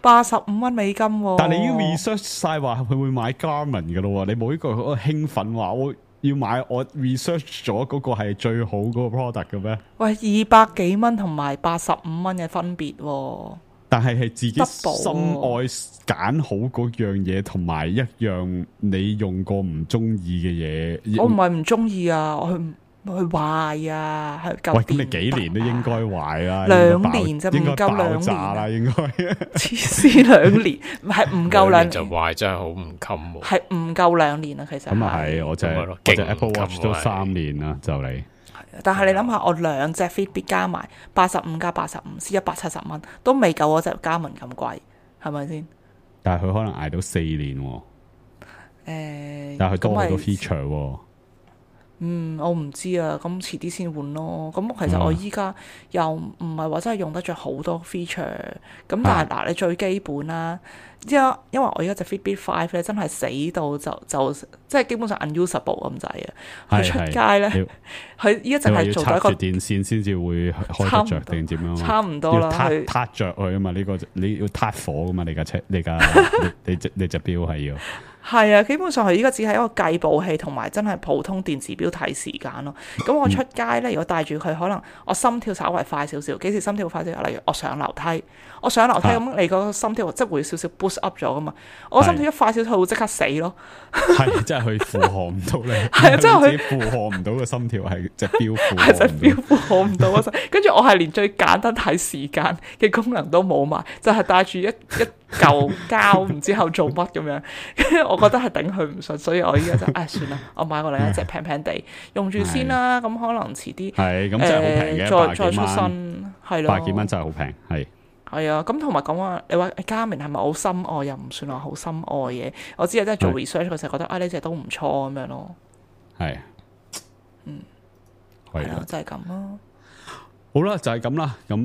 ，85蚊美金喎。但係你已經 research 晒話佢會買 Garmin 噶咯，你冇呢個興奮話我要買，我 research 咗嗰個係最好嗰個 product 嘅咩？喂，200幾蚊同埋85蚊嘅分別喎。但係自己心愛揀好嗰樣嘢，同埋一樣你用過唔中意嘅嘢。我唔係唔中意啊，我去壞啊，係舊。喂，咁你幾年都應該壞啦，2年就唔夠2年啦，應該。黐線2年，係唔夠2年就壞，真係好唔襟喎。係唔夠2年啊，其實。咁啊係，我隻 Apple Watch 都3年啦，就嚟。但係你諗下，我2隻 Fitbit 加埋85加85先170蚊，都未夠我隻Garmin咁貴，係咪先？但係佢可能捱到4年喎。但係佢多好多 feature 喎。我唔知啊，咁遲啲先換咯。咁其實我依家又唔係話真係用得着好多 feature，咁但係嗱，你最基本啦，因為我而家隻 Fitbit 5咧真係死到就即係基本上 unusable 咁滯啊！佢出街咧，佢依家淨係做咗一個電線先至會開得着定點樣？差唔多啦，撻着佢啊嘛！呢個你要撻火噶嘛？你架車，你隻錶係要。係啊，基本上佢依家只係一個計步器同埋真係普通電子錶睇時間咯。咁我出街咧，如果帶住佢，可能我心跳稍微快少少。幾時心跳快少少？例如我上樓梯咁，你個心跳即係會少少 boost up 咗噶嘛。我心跳一快少少，佢會即刻死咯。係，即係佢負荷唔到你。係啊，即係佢負荷唔到個心跳，係隻錶負荷唔到。係隻錶負荷唔到啊！跟住我係連最簡單睇時間嘅功能都冇埋，就係帶住一嚿膠，唔知後做乜咁樣。我覺得係頂佢唔順，所以我依家就算啦，我買過另一隻平平地用住先啦。咁可能遲啲係咁真係好平嘅，再出新係咯，百幾蚊真係好平，係啊。咁同埋講話，你話嘉明係咪好深愛？又唔算話好深愛嘅。我只係真係做 research 嗰時覺得呢隻都唔錯咁樣咯。係，係啦，就係咁咯。好啦，就係咁啦。咁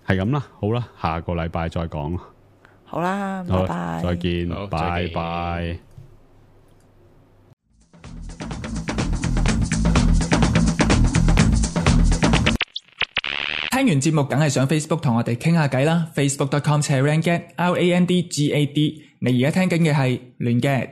係咁啦。好啦，下個禮拜再講。好啦，拜拜，再見，好拜拜。聽完節目梗係上 Facebook 同我哋傾下偈啦，facebook.com/randgad，RANDGAD。你而家聽緊嘅係亂 gad。